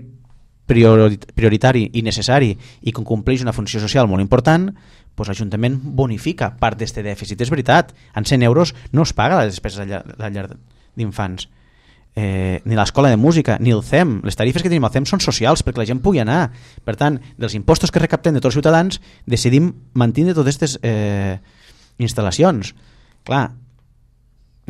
prioritari i necessari i que compleix una funció social molt important, doncs l'Ajuntament bonifica part d'aquest dèficit. És veritat, en 100 euros no es paga la despesa de la llar d'infants, ni l'escola de música, ni el CEM. Les tarifes que tenim al CEM són socials perquè la gent pugui anar. Per tant, dels impostos que recaptem de tots els ciutadans, decidim mantenir totes aquestes instal·lacions. Clar,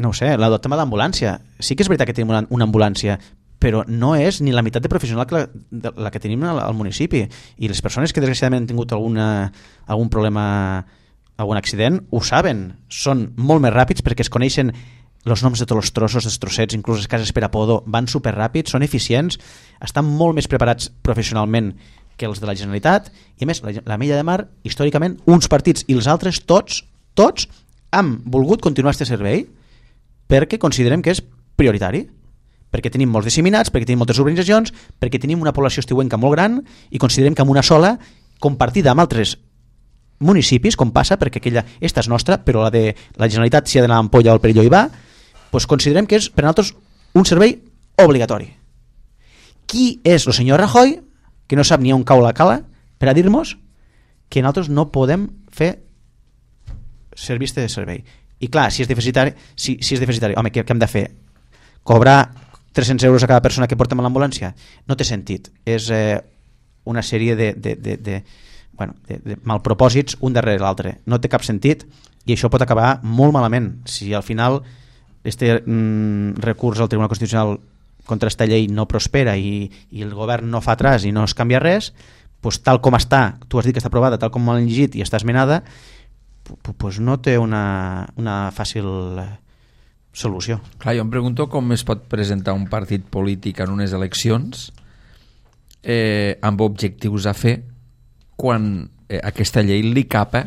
no ho sé, el tema de l'ambulància. Sí que és veritat que tenim una ambulància, però no és ni la meitat de professional que la que tenim al municipi, i les persones que desgraciadament han tingut algun problema, algun accident, ho saben, són molt més ràpids perquè es coneixen els noms de tots els trossos, dels trossets, inclús les cases per a podo, van superràpids, són eficients, estan molt més preparats professionalment que els de la Generalitat, i a més l'Ametlla de Mar, històricament, uns partits i els altres, tots han volgut continuar aquest servei perquè considerem que és prioritari, perquè tenim molts disseminats, perquè tenim moltes urbanitzacions, perquè tenim una població estiuenca molt gran i considerem que amb una sola, compartida amb altres municipis, com passa, perquè esta és nostra, però la de la Generalitat, si ha d'anar a Ampolla o al Perelló hi va, doncs considerem que és per a nosaltres un servei obligatori. Qui és el senyor Rajoy, que no sap ni on cau la Cala, per a dir-nos que nosaltres no podem fer servir de servei? I clar, si és deficitari, home, què hem de fer? Cobrar 300 euros a cada persona que portem a l'ambulància? No té sentit. És una sèrie de malpropòsits un darrere l'altre. No té cap sentit i això pot acabar molt malament. Si al final este recurs al Tribunal Constitucional contra esta llei no prospera i el govern no fa atràs i no es canvia res, doncs tal com està, tu has dit que està aprovada, tal com l'han llegit i està esmenada, doncs no té una fàcil solució. Clar, jo em pregunto com es pot presentar un partit polític en unes eleccions amb objectius a fer quan aquesta llei li capa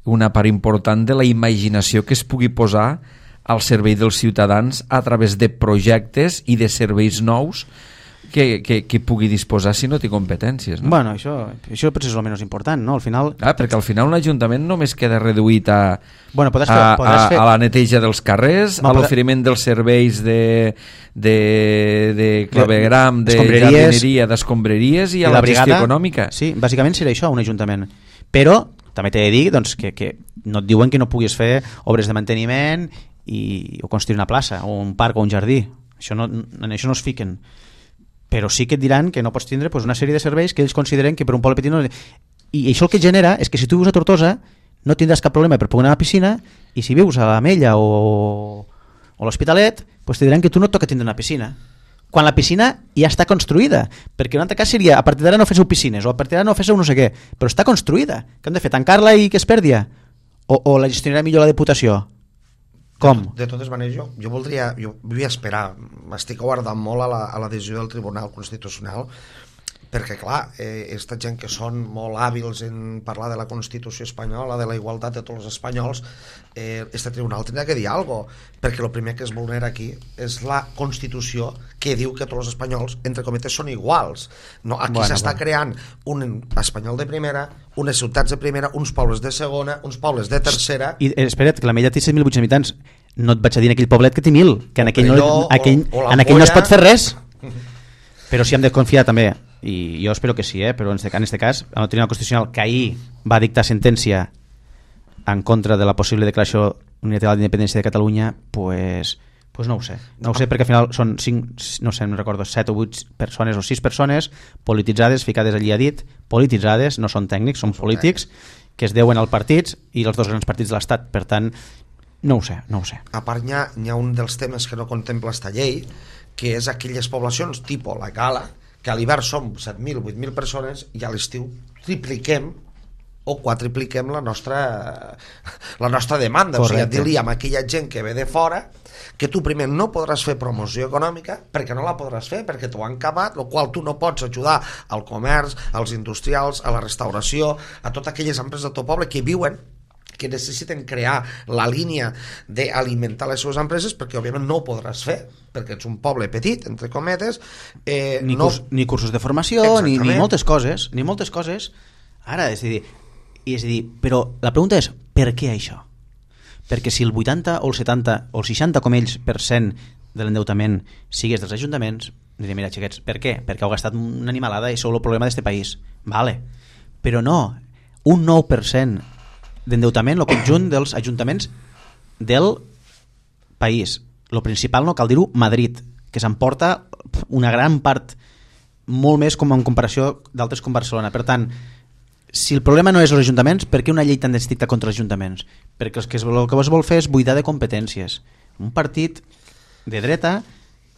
una part important de la imaginació que es pugui posar al servei dels ciutadans a través de projectes i de serveis nous que pugui disposar si no té competències, no? Bueno, això potser és el menys important, no? Al final... perquè al final un ajuntament només queda reduït a a la neteja dels carrers, a l'oferiment dels serveis de clavegram, de jardineria, d'escombraries i a la gestió econòmica. Sí, bàsicament serà això, un ajuntament. Però també t'he de dir doncs, que no et diuen que no puguis fer obres de manteniment o construir una plaça, o un parc o un jardí. En això no es fiquen. Però sí que et diran que no pots tindre una sèrie de serveis que ells consideren que per un poble petit no... I això el que genera és que si tu vius a Tortosa no tindràs cap problema per poder anar a la piscina, i si vius a l'Ametlla o l'Hospitalet, doncs te diran que tu no et toca tindre una piscina, quan la piscina ja està construïda, perquè un altre cas seria a partir d'ara no féssiu piscines, o a partir d'ara no féssiu no sé què, però està construïda, què hem de fer, tancar-la i que es perdi? O la gestionarà millor la Diputació? Com? De totes maneres, jo vull esperar, m'estic guardant molt a la decisió del Tribunal Constitucional, perquè clar, aquesta gent que són molt hàbils en parlar de la Constitució espanyola, de la igualtat de tots els espanyols, este tribunal tindrà que dir alguna cosa, perquè el primer que es vulnera aquí és la Constitució, que diu que tots els espanyols, entre cometes, són iguals. No, aquí s'està creant un espanyol de primera, unes ciutats de primera, uns pobles de segona, uns pobles de tercera... I espera't, que l'Ametlla té 7.800 habitants, no et vaig a dir en aquell poblet que té 1.000, que en aquell no es pot fer res. Però sí hem de confiar també, i jo espero que sí, però en aquest cas el Tribunal Constitucional, que ahir va dictar sentència en contra de la possible declaració unilateral d'independència de Catalunya, pues no ho sé, perquè al final són 5, no sé, no recordo, 7 o 8 persones o 6 persones polititzades, ficades allí a dit, polititzades, no són tècnics, són polítics, que es deuen als partits i els dos grans partits de l'Estat. Per tant, no ho sé. A part, hi ha un dels temes que no contempla esta llei, que és aquelles poblacions tipus la Gala, que a l'hivern som 7.000, 8.000 persones i a l'estiu tripliquem o quadripliquem la nostra demanda. Correcte. O sigui, dir-li amb aquella gent que ve de fora que tu primer no podràs fer promoció econòmica perquè no la podràs fer, perquè t'ho han acabat, el qual tu no pots ajudar al comerç, als industrials, a la restauració, a totes aquelles empreses del teu poble que viuen, que necessiten crear la línia d'alimentar les seves empreses, perquè òbviament no ho podràs fer, perquè ets un poble petit, entre cometes, ni cursos de formació, ni moltes coses, ara, és a dir, però la pregunta és, per què això? Perquè si el 80 o el 70 o el 60 com ells % de l'endeutament sigués dels ajuntaments, diré, mira, xiquets, per què? Perquè heu gastat una animalada i sou el problema d'este país. Vale. Però no, un 9% d'endeutament, el conjunt dels ajuntaments del país. Lo principal, no cal dir-ho, Madrid, que s'emporta una gran part, molt més com en comparació d'altres com Barcelona. Per tant, si el problema no és els ajuntaments, per què una llei tan estricta contra els ajuntaments? Perquè el que es vol fer és buidar de competències. Un partit de dreta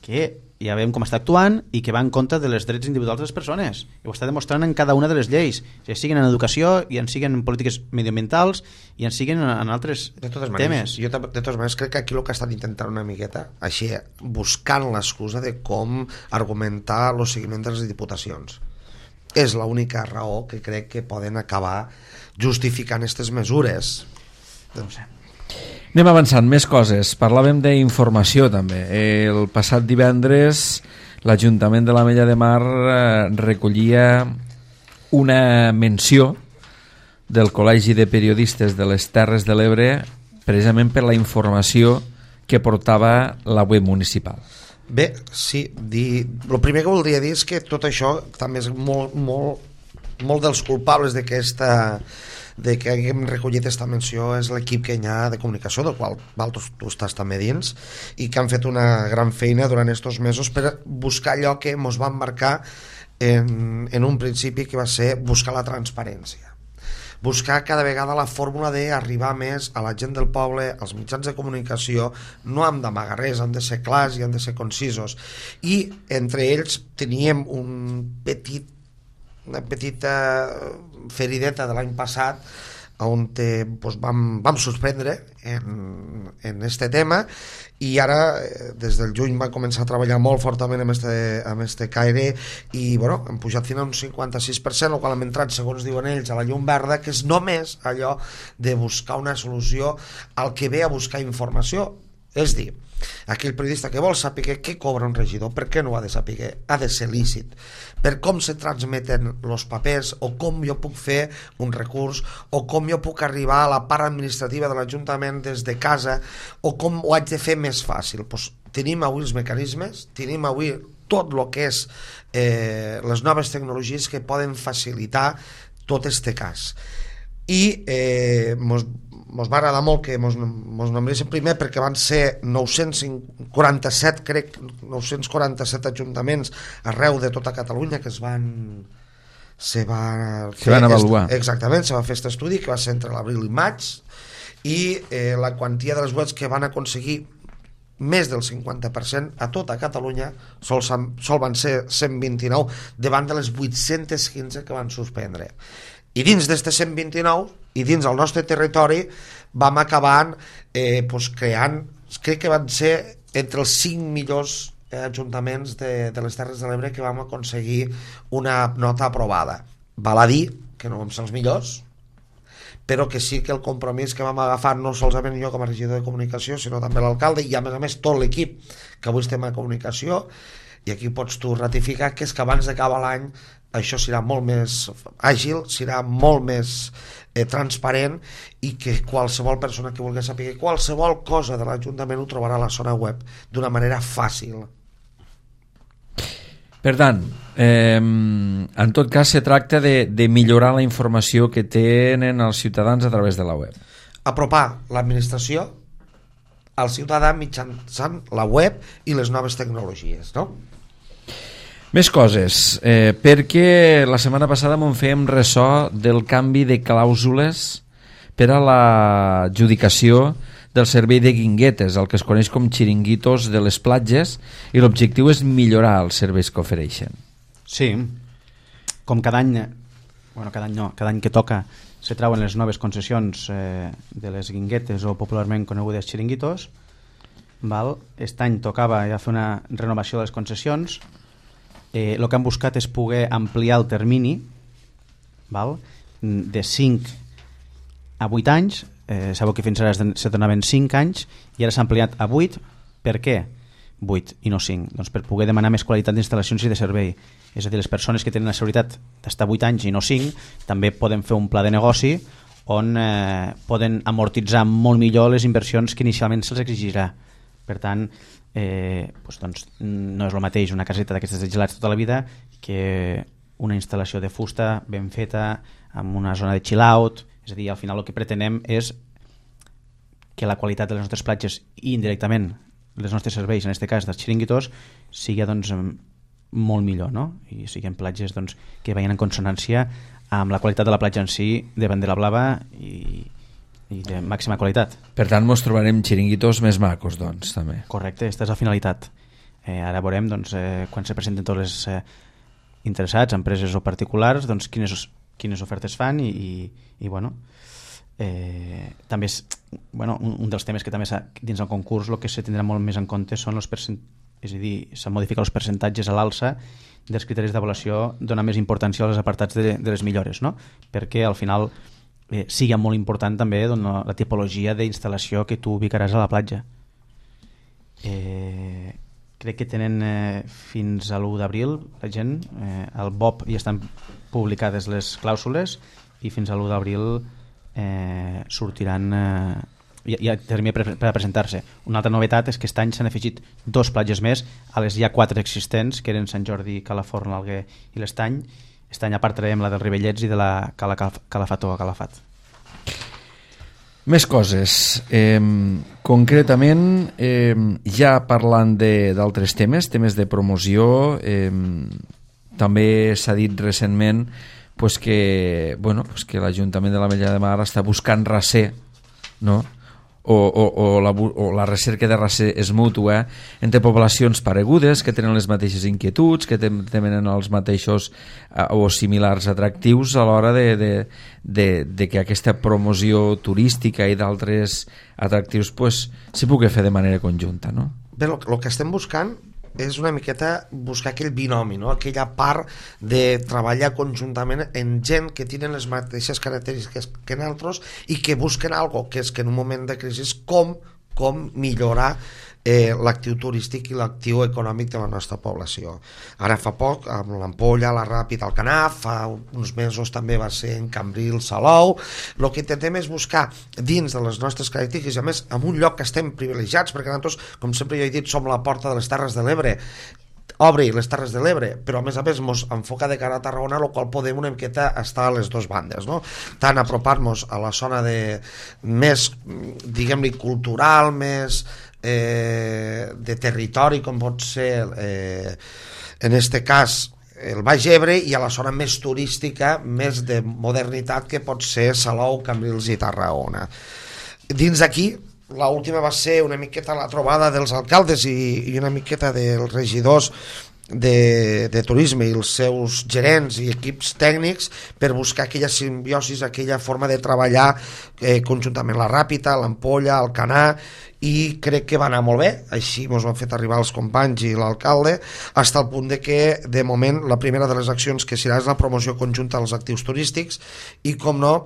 que ja veiem com està actuant i que va en contra de les drets individuals de les persones. I ho està demostrant en cada una de les lleis, ja siguin en educació, i en siguin en polítiques mediambientals, i en siguin en altres temes. Jo, de totes maneres, crec que aquí el que estan intentant una miqueta, així, buscant l'excusa de com argumentar el seguiment de les diputacions. És l'única raó que crec que poden acabar justificant aquestes mesures. No sé. Anem avançant, més coses. Parlàvem d'informació també. El passat divendres l'Ajuntament de l'Ametlla de Mar recollia una menció del Col·legi de Periodistes de les Terres de l'Ebre precisament per la informació que portava la web municipal. Bé, sí, el primer que voldria dir és que tot això també és molt dels culpables de que haguem recollit aquesta menció és l'equip que hi ha de comunicació, del qual tu estàs també dins, i que han fet una gran feina durant aquests mesos per buscar allò que ens van marcar en un principi, que va ser buscar la transparència, buscar cada vegada la fórmula d'arribar més a la gent del poble, als mitjans de comunicació. No hem d'amagar res, hem de ser clars i hem de ser concisos, i entre ells teníem una petita ferideta de l'any passat on vam suspendre en este tema, i ara des del juny va començar a treballar molt fortament amb este caire, i bueno, hem pujat fins a un 56%, el qual hem entrat, segons diuen ells, a la llum verda, que és només allò de buscar una solució al que ve a buscar informació. És dir, aquell periodista que vol saber què cobra un regidor, per què no ho ha de saber? Ha de ser lícit. Per com se transmeten els papers, o com jo puc fer un recurs, o com jo puc arribar a la part administrativa de l'Ajuntament des de casa, o com ho haig de fer més fàcil. Tenim avui els mecanismes, tenim avui tot el que és les noves tecnologies que poden facilitar tot este cas. I mos va agradar molt que mos nombressin primer, perquè van ser 947 ajuntaments arreu de tota Catalunya que se van avaluar. Exactament, se va fer aquest estudi que va ser entre l'abril i maig, i la quantia de les webs que van aconseguir més del 50% a tota Catalunya sol van ser 129 davant de les 815 que van suspendre. I dins d'aquestes 129 i dins del nostre territori vam acabar creant, crec que van ser entre els 5 millors ajuntaments de les Terres de l'Ebre que vam aconseguir una nota aprovada. Val a dir que no vam ser els millors, però que sí que el compromís que vam agafar, no solament jo com a regidor de comunicació, sinó també l'alcalde i a més tot l'equip que avui estem a comunicació, i aquí pots tu ratificar, que és que abans d'acabar l'any això serà molt més àgil, serà molt més transparent, i que qualsevol persona que vulgui saber qualsevol cosa de l'Ajuntament ho trobarà a la zona web d'una manera fàcil. Per tant, en tot cas se tracta de millorar la informació que tenen els ciutadans a través de la web. Apropar l'administració al ciutadà mitjançant la web i les noves tecnologies, no? Més coses, perquè la setmana passada m'en fèiem ressò del canvi de clàusules per a l'adjudicació del servei de guinguetes, el que es coneix com xiringuitos de les platges, i l'objectiu és millorar els serveis que ofereixen. Sí, com cada any, bueno, cada any que toca se trauen les noves concessions de les guinguetes o popularment conegudes xiringuitos, val? Aquest any tocava ja fer una renovació de les concessions. El que han buscat és poder ampliar el termini, val? De 5 a 8 anys. Sabeu que fins ara se donaven 5 anys i ara s'ha ampliat a 8. Per què 8 i no 5? Doncs per poder demanar més qualitat d'instal·lacions i de servei. És a dir, les persones que tenen la seguretat d'estar 8 anys i no 5 també poden fer un pla de negoci on poden amortitzar molt millor les inversions que inicialment se'ls exigirà. Per tant, doncs, no és el mateix una caseta d'aquestes de gelats tota la vida que una instal·lació de fusta ben feta amb una zona de chill out. És a dir, al final el que pretenem és que la qualitat de les nostres platges i indirectament els nostres serveis, en aquest cas dels xiringuitos, sigui doncs, molt millor, no? I siguin platges doncs, que vagin en consonància amb la qualitat de la platja en si, de bandera blava i de màxima qualitat. Per tant, ens trobarem xiringuitos més macos, doncs, també. Correcte, aquesta és la finalitat. Ara veurem, doncs, quan se presenten tots els interessats, empreses o particulars, doncs, quines ofertes fan i bueno, també és un dels temes que també dins el concurs el que se tindrà molt més en compte són els és a dir, s'han modificat els percentatges a l'alça dels criteris d'avaluació, donar més importància als apartats de les millores, no? Perquè al final sigui molt important també la tipologia d'instal·lació que tu ubicaràs a la platja. Crec que tenen fins a l'1 d'abril la gent, al BOP ja estan publicades les clàusules i fins a l'1 d'abril sortiran hi ha termini per a presentar-se. Una altra novetat és que aquest any s'han afegit 2 platges més a les ja 4 existents, que eren Sant Jordi, Calaforn, l'Alguer i l'Estany. Aquest any a part traiem la dels Rivellets i de la Calafat o Calafat. Més coses. Concretament, ja parlant d'altres temes de promoció, també s'ha dit recentment que l'Ajuntament de l'Ametlla de Mar està buscant raser, no? o la recerca de raser és mútua entre poblacions paregudes que tenen les mateixes inquietuds, que tenen els mateixos o similars atractius a l'hora de que aquesta promoció turística i d'altres atractius s'hi pugui fer de manera conjunta, no? Bé, el que estem buscant és una miqueta buscar aquell binomi, no? Aquella part de treballar conjuntament en gent que tenen les mateixes característiques que nosaltres i que busquen algo, que és que en un moment de crisi com millorar l'actiu turístic i l'actiu econòmic de la nostra població. Ara fa poc, amb l'Ampolla, la Ràpita, el Canaf, fa uns mesos també va ser en Cambril, Salou. El que intentem és buscar dins de les nostres característiques, i a més en un lloc que estem privilegiats, perquè nosaltres, com sempre jo he dit, som la porta de les Terres de l'Ebre, obri les Terres de l'Ebre, però a més ens enfoca de cara a Tarragona, el qual podem una miqueta estar a les dues bandes, no? Tant apropar-nos a la zona més, diguem-li, cultural, més de territori, com pot ser en este cas el Baix Ebre, i a la zona més turística, més de modernitat, que pot ser Salou, Cambrils i Tarragona. Dins d'aquí, l'última va ser una miqueta la trobada dels alcaldes i una miqueta dels regidors de turisme i els seus gerents i equips tècnics per buscar aquella simbiosi, aquella forma de treballar conjuntament, la Ràpita, l'Ampolla, el Canà, i crec que va anar molt bé. Així ens ho han fet arribar els companys i l'alcalde, fins al punt de que de moment la primera de les accions que serà és la promoció conjunta dels actius turístics i, com no,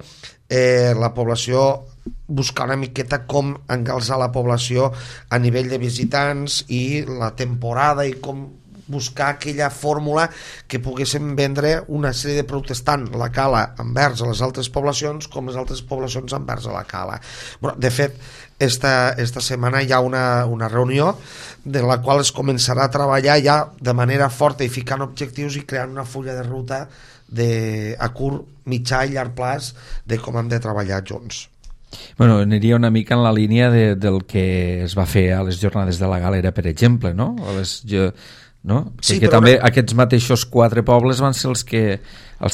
la població, buscar una miqueta com engalzar la població a nivell de visitants i la temporada, i com buscar aquella fórmula que poguéssim vendre una sèrie de productes, tant la cala envers a les altres poblacions com les altres poblacions envers a la cala. Bueno, de fet, esta setmana hi ha una reunió de la qual es començarà a treballar ja de manera forta i ficant objectius i creant una fulla de ruta a curt, mitjà i llarg plaç de com hem de treballar junts. Bueno, aniria una mica en la línia del que es va fer a les jornades de la Galera, per exemple, no? no? Sí, que també aquests mateixos 4 pobles van ser els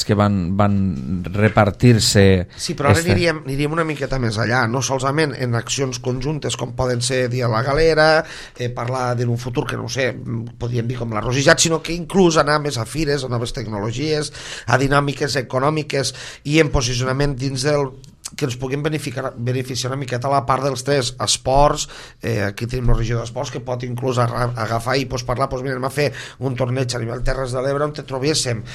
que van repartir-se. Sí, però ara aniríem una miqueta més allà, no solament en accions conjuntes com poden ser Dia la Galera, parlar d'un futur que no ho sé, podríem dir com la Rosijat, sinó que inclús anar més a fires, a noves tecnologies, a dinàmiques econòmiques i en posicionament dins del que ens puguin beneficiar una miqueta la part dels 3 esports. Aquí tenim la regió d'esports que pot inclús agafar i parlar, anem a fer un torneig a nivell Terres de l'Ebre on trobéssim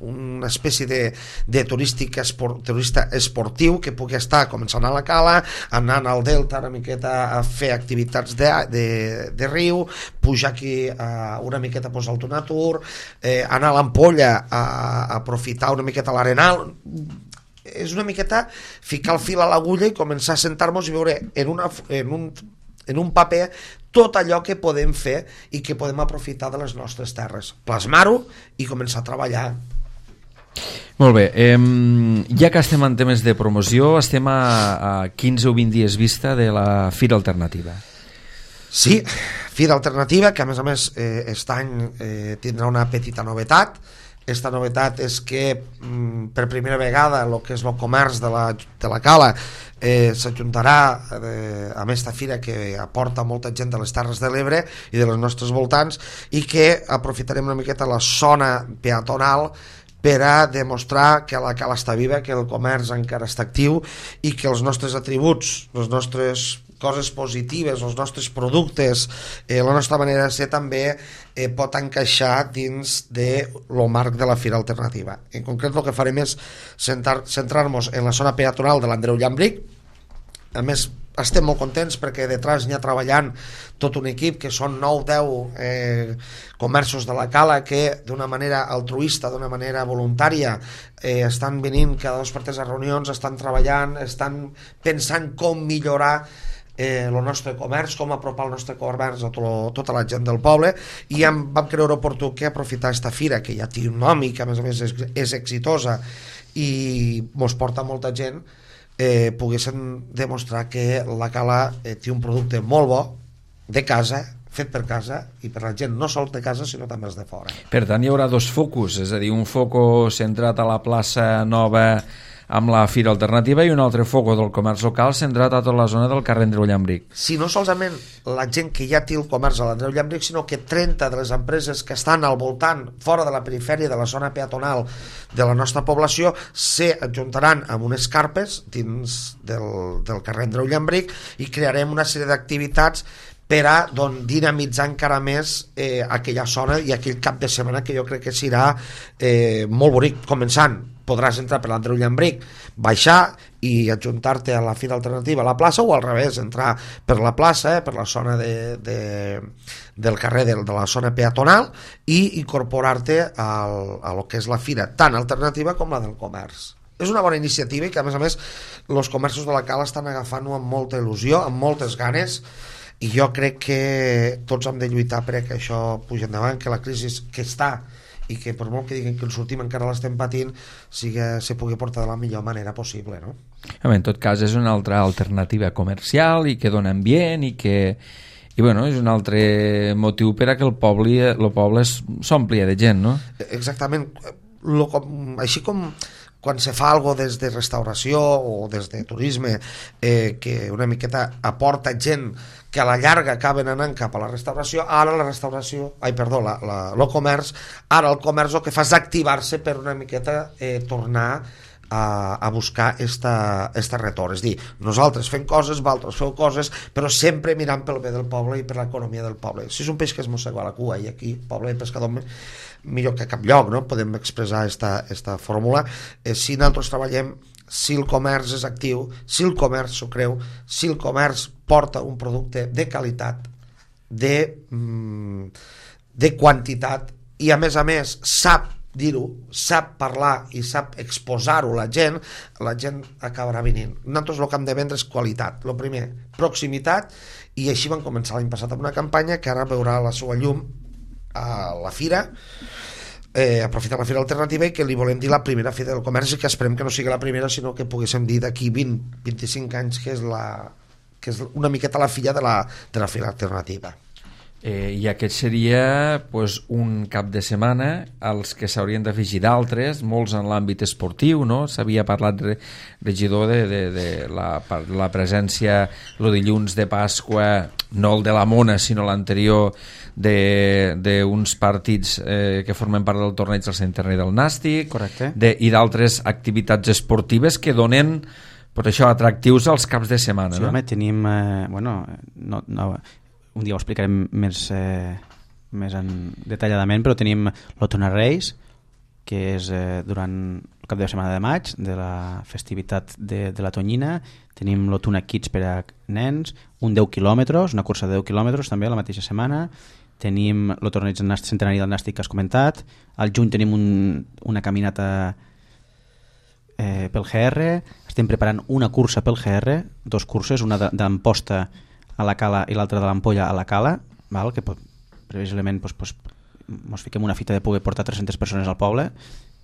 una espècie de turista esportiu que pugui estar començant a la Cala, anant al Delta una miqueta a fer activitats de riu, pujar aquí una miqueta a posar el Tonatur, anar a l'Ampolla a aprofitar una miqueta l'Arenal. És una miqueta ficar el fil a l'agulla i començar a sentar-nos i veure en un paper tot allò que podem fer i que podem aprofitar de les nostres terres, plasmar-ho i començar a treballar. Molt bé, ja que estem en temes de promoció, estem a 15 o 20 dies vista de la Fira Alternativa. Sí, Fira Alternativa, que a més aquest any tindrà una petita novetat. Esta novetat és que per primera vegada el que és el comerç de la Cala s'ajuntarà amb esta fira que aporta molta gent de les Terres de l'Ebre i de les nostres voltants, i que aprofitarem una miqueta la zona peatonal per a demostrar que la Cala està viva, que el comerç encara està actiu i que els nostres atributs, les nostres coses positives, els nostres productes, la nostra manera de ser també pot encaixar dins del marc de la Fira Alternativa. En concret el que farem és centrar-nos en la zona peatonal de l'Andreu Llambric. A més, estem molt contents perquè detrás n'hi ha treballant tot un equip que són 9-10 comerços de la Cala que d'una manera altruista, d'una manera voluntària estan venint cada 2 per 3 a reunions, estan treballant, estan pensant com millorar el nostre comerç, com apropar el nostre comerç a tota la gent del poble, i vam creure oportú que aprofitar aquesta fira que ja té un nom i que a més és exitosa i mos porta molta gent, poguéssim demostrar que la Cala té un producte molt bo de casa, fet per casa i per la gent no sols de casa sinó també els de fora. Per tant hi haurà 2 focus, és a dir, un foco centrat a la plaça Nova amb la Fira Alternativa i un altre foco del comerç local centrat a tota la zona del carrer Andreu Llambric. Si no solament la gent que ja té el comerç a l'Andreu Llambric, sinó que 30 de les empreses que estan al voltant, fora de la perifèria de la zona peatonal de la nostra població, s'ajuntaran amb unes carpes dins del carrer Andreu Llambric i crearem una sèrie d'activitats per a dinamitzar encara més aquella zona i aquell cap de setmana que jo crec que serà molt bonic. Començant, podràs entrar per l'Andreu Llambric, baixar i ajuntar-te a la Fira Alternativa a la plaça, o al revés, entrar per la plaça, per la zona del carrer de la zona peatonal i incorporar-te a lo que és la fira, tant alternativa com la del comerç. És una bona iniciativa i que a més els comerços de la Cala estan agafant-ho amb molta il·lusió, amb moltes ganes, i jo crec que tots hem de lluitar perquè això pugi endavant, que la crisi que està i que per molt que diguin que en sortim encara l'estem patint, se pugui portar de la millor manera possible, no? En tot cas és una altra alternativa comercial i que dona ambient i bueno, és un altre motiu per a que el poble s'omplia de gent, no? Exactament, així com quan se fa alguna des de restauració o des de turisme que una miqueta aporta gent que a la llarga acaben anant cap a la restauració, ara el comerç, ara el comerç el que fa és activar-se per una miqueta tornar a buscar esta retorn. És dir, nosaltres fem coses, vosaltres feu coses, però sempre mirant pel bé del poble i per l'economia del poble. Si és un peix que es mossega a la cua, i aquí, poble de pescador, millor que a cap lloc, no? Podem expressar esta fórmula. Si nosaltres treballem, si el comerç és actiu, si el comerç s'ho creu, si el comerç porta un producte de qualitat, de quantitat, i a més sap dir-ho, sap parlar i sap exposar-ho la gent acabarà venint. Nosaltres el que hem de vendre és qualitat. El primer, proximitat, i així vam començar l'any passat amb una campanya que ara veurà la seva llum a la fira, aprofitar la Fira Alternativa, i que li volem dir la primera Fira del Comerç, i que esperem que no sigui la primera, sinó que poguéssim dir d'aquí 20-25 anys que és una miqueta la filla de la Fira Alternativa. I aquest seria un cap de setmana als que s'haurien d'afegir d'altres, molts en l'àmbit esportiu, no? S'havia parlat, regidor, de la presència el dilluns de Pasqua, no el de la Mona sinó l'anterior, d'uns partits que formen part del torneig del Sant Internet del Nàstic. Correcte. I d'altres activitats esportives que donen això atractius als caps de setmana. Sí, no? home, tenim un dia ho explicarem més detalladament, però tenim l'Otona Reis, que és durant el cap de setmana de maig, de la festivitat de la Tonyina. Tenim l'Otona Kids per a nens, un 10 quilòmetres, una cursa de 10 quilòmetres també la mateixa setmana. Tenim el torneig centenari del Nàstic que has comentat. Al juny tenim una caminata pel GR. Estem preparant una cursa pel GR, dos curses, una d'Amposta a la Cala i l'altra de l'Ampolla a la Cala, val? Que previsiblement ens fiquem una fita de poder portar 300 persones al poble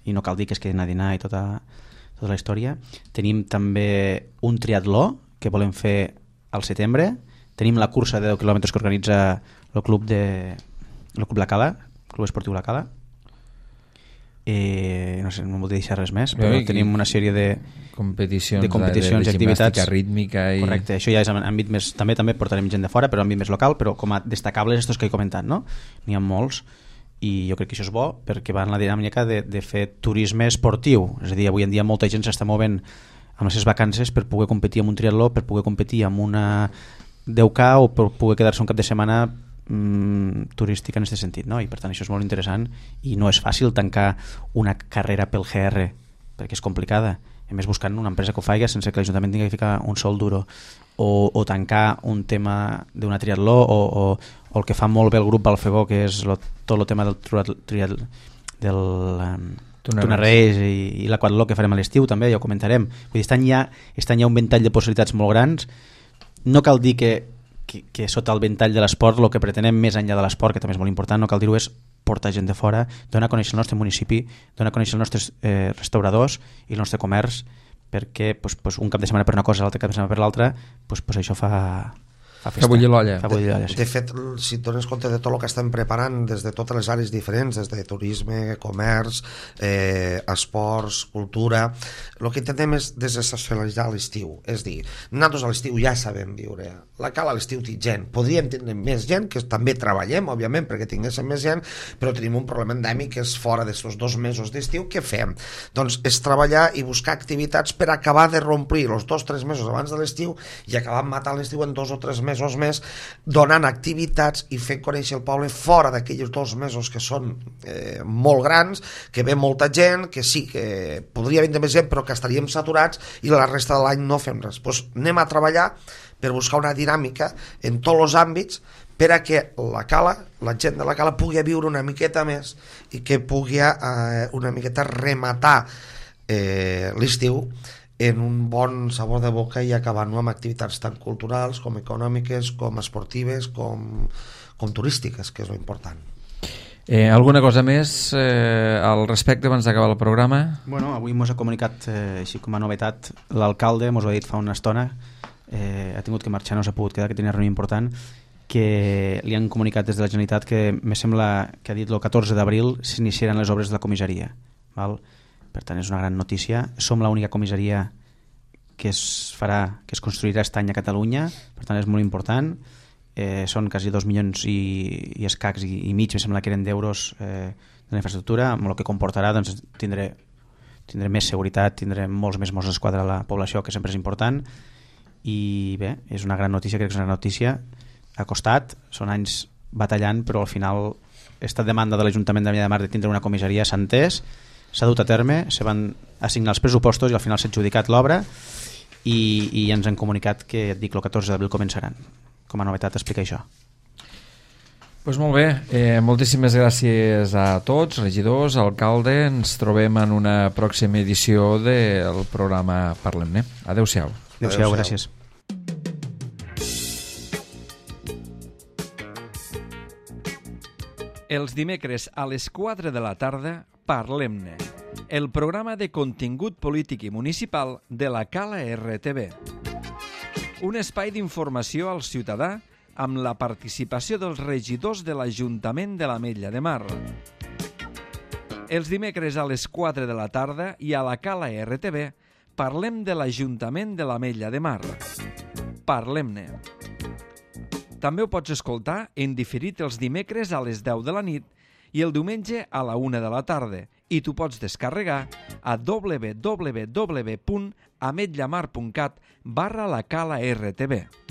i no cal dir que es quedin a dinar i tota la història. Tenim també un triatló que volem fer al setembre. Tenim la cursa de 10 quilòmetres que organitza el club La Cala, Club Esportiu La Cala. No sé, no em voldria deixar res més, però tenim una sèrie de competicions de activitats rítmica i... Correcte, això ja és en àmbit més, també portarem gent de fora, però en àmbit més local, però com a destacables estos que he comentat, no? N'hi ha molts i jo crec que això és bo perquè va en la dinàmica de fer turisme esportiu, és a dir, avui en dia molta gent s'està movent amb les seves vacances per poder competir en un triatló, per poder competir en una 10K o per poder quedar-se un cap de setmana turística en aquest sentit, no? I per tant això és molt interessant i no és fàcil tancar una carrera pel GR perquè és complicada, a més buscant una empresa que ho faci sense que l'Ajuntament tingui que ficar un sol duro o tancar un tema d'una triatló o el que fa molt bé el grup Balfegó, que és tot el tema del Tuna Reis i l'aquatló que farem a l'estiu també, ja ho comentarem. Vull dir, estan ja un ventall de possibilitats molt grans. No cal dir que sota el ventall de l'esport el que pretenem més enllà de l'esport, que també és molt important, no cal dir-ho, és portar gent de fora, donar a conèixer el nostre municipi, donar a conèixer els nostres restauradors i el nostre comerç, perquè un cap de setmana per una cosa, l'altre cap de setmana per l'altra, això fa festa. Fa bullir l'olla. Sí. De fet, si et dones compte de tot el que estem preparant des de totes les àrees diferents, des de turisme, comerç, esports, cultura, el que intentem és desestacionalitzar l'estiu, és dir, nosaltres a l'estiu ja sabem viure, la Cala a l'estiu té gent, podríem tenir més gent, que també treballem, òbviament, perquè tinguéssim més gent, però tenim un problema endèmic que és fora d'aquests 2 mesos d'estiu. Què fem? Doncs és treballar i buscar activitats per acabar de romplir els 2-3 mesos abans de l'estiu i acabar matant l'estiu en 2 o 3 mesos més, donant activitats i fent conèixer el poble fora d'aquells 2 mesos que són molt grans, que ve molta gent, que sí, que podria vindre més gent però que estaríem saturats i la resta de l'any no fem res. Doncs anem a treballar per buscar una dinàmica en tots els àmbits per a que la Cala, la gent de la Cala pugui viure una miqueta més i que pugui una miqueta rematar l'estiu en un bon sabor de boca i acabant-ho amb activitats tan culturals com econòmiques, com esportives, com turístiques, que és l'important. Alguna cosa més al respecte abans d'acabar el programa? Bueno, avui ens ha comunicat, així com a novetat, l'alcalde, ens ho ha dit fa una estona, ha tingut que marxar, no s'ha pogut quedar, que tenia reunió important, que li han comunicat des de la Generalitat que me sembla que ha dit el 14 d'abril s'iniciaran les obres de la comissaria, val? Per tant és una gran notícia. Som l'única comissaria que es construirà aquest any a Catalunya, per tant és molt important. Són quasi 2 milions i escacs i mig, me sembla que eren d'euros de la infraestructura, amb el que comportarà doncs, tindré més seguretat, tindré molts més Mossos d'Esquadra a la població, que sempre és important. I bé, és una gran notícia, crec que és una gran notícia. Ha costat, són anys batallant, però al final aquesta demanda de l'Ajuntament de Vinya de Mar de tindre una comissaria s'ha entès, s'ha dut a terme, se van assignar els pressupostos i al final s'ha adjudicat l'obra i ens han comunicat que, et dic, el 14 d'abril començaran. Com a novetat explica això. Pues molt bé, moltíssimes gràcies a tots, regidors, alcalde. Ens trobem en una pròxima edició del programa Parlem-ne. Adéu-siau. Adéu-siau, gràcies. Els dimecres a les 4 de la tarda, Parlem-ne, el programa de contingut polític i municipal de la Cala RTV. Un espai d'informació al ciutadà amb la participació dels regidors de l'Ajuntament de l'Ametlla de Mar. Els dimecres a les 4 de la tarda i a la Cala RTV parlem de l'Ajuntament de l'Ametlla de Mar. Parlem-ne. També ho pots escoltar en diferit els dimecres a les 10 de la nit i el diumenge a la 1 de la tarda i t'ho pots descarregar a www.ametllamar.cat/la Cala RTV.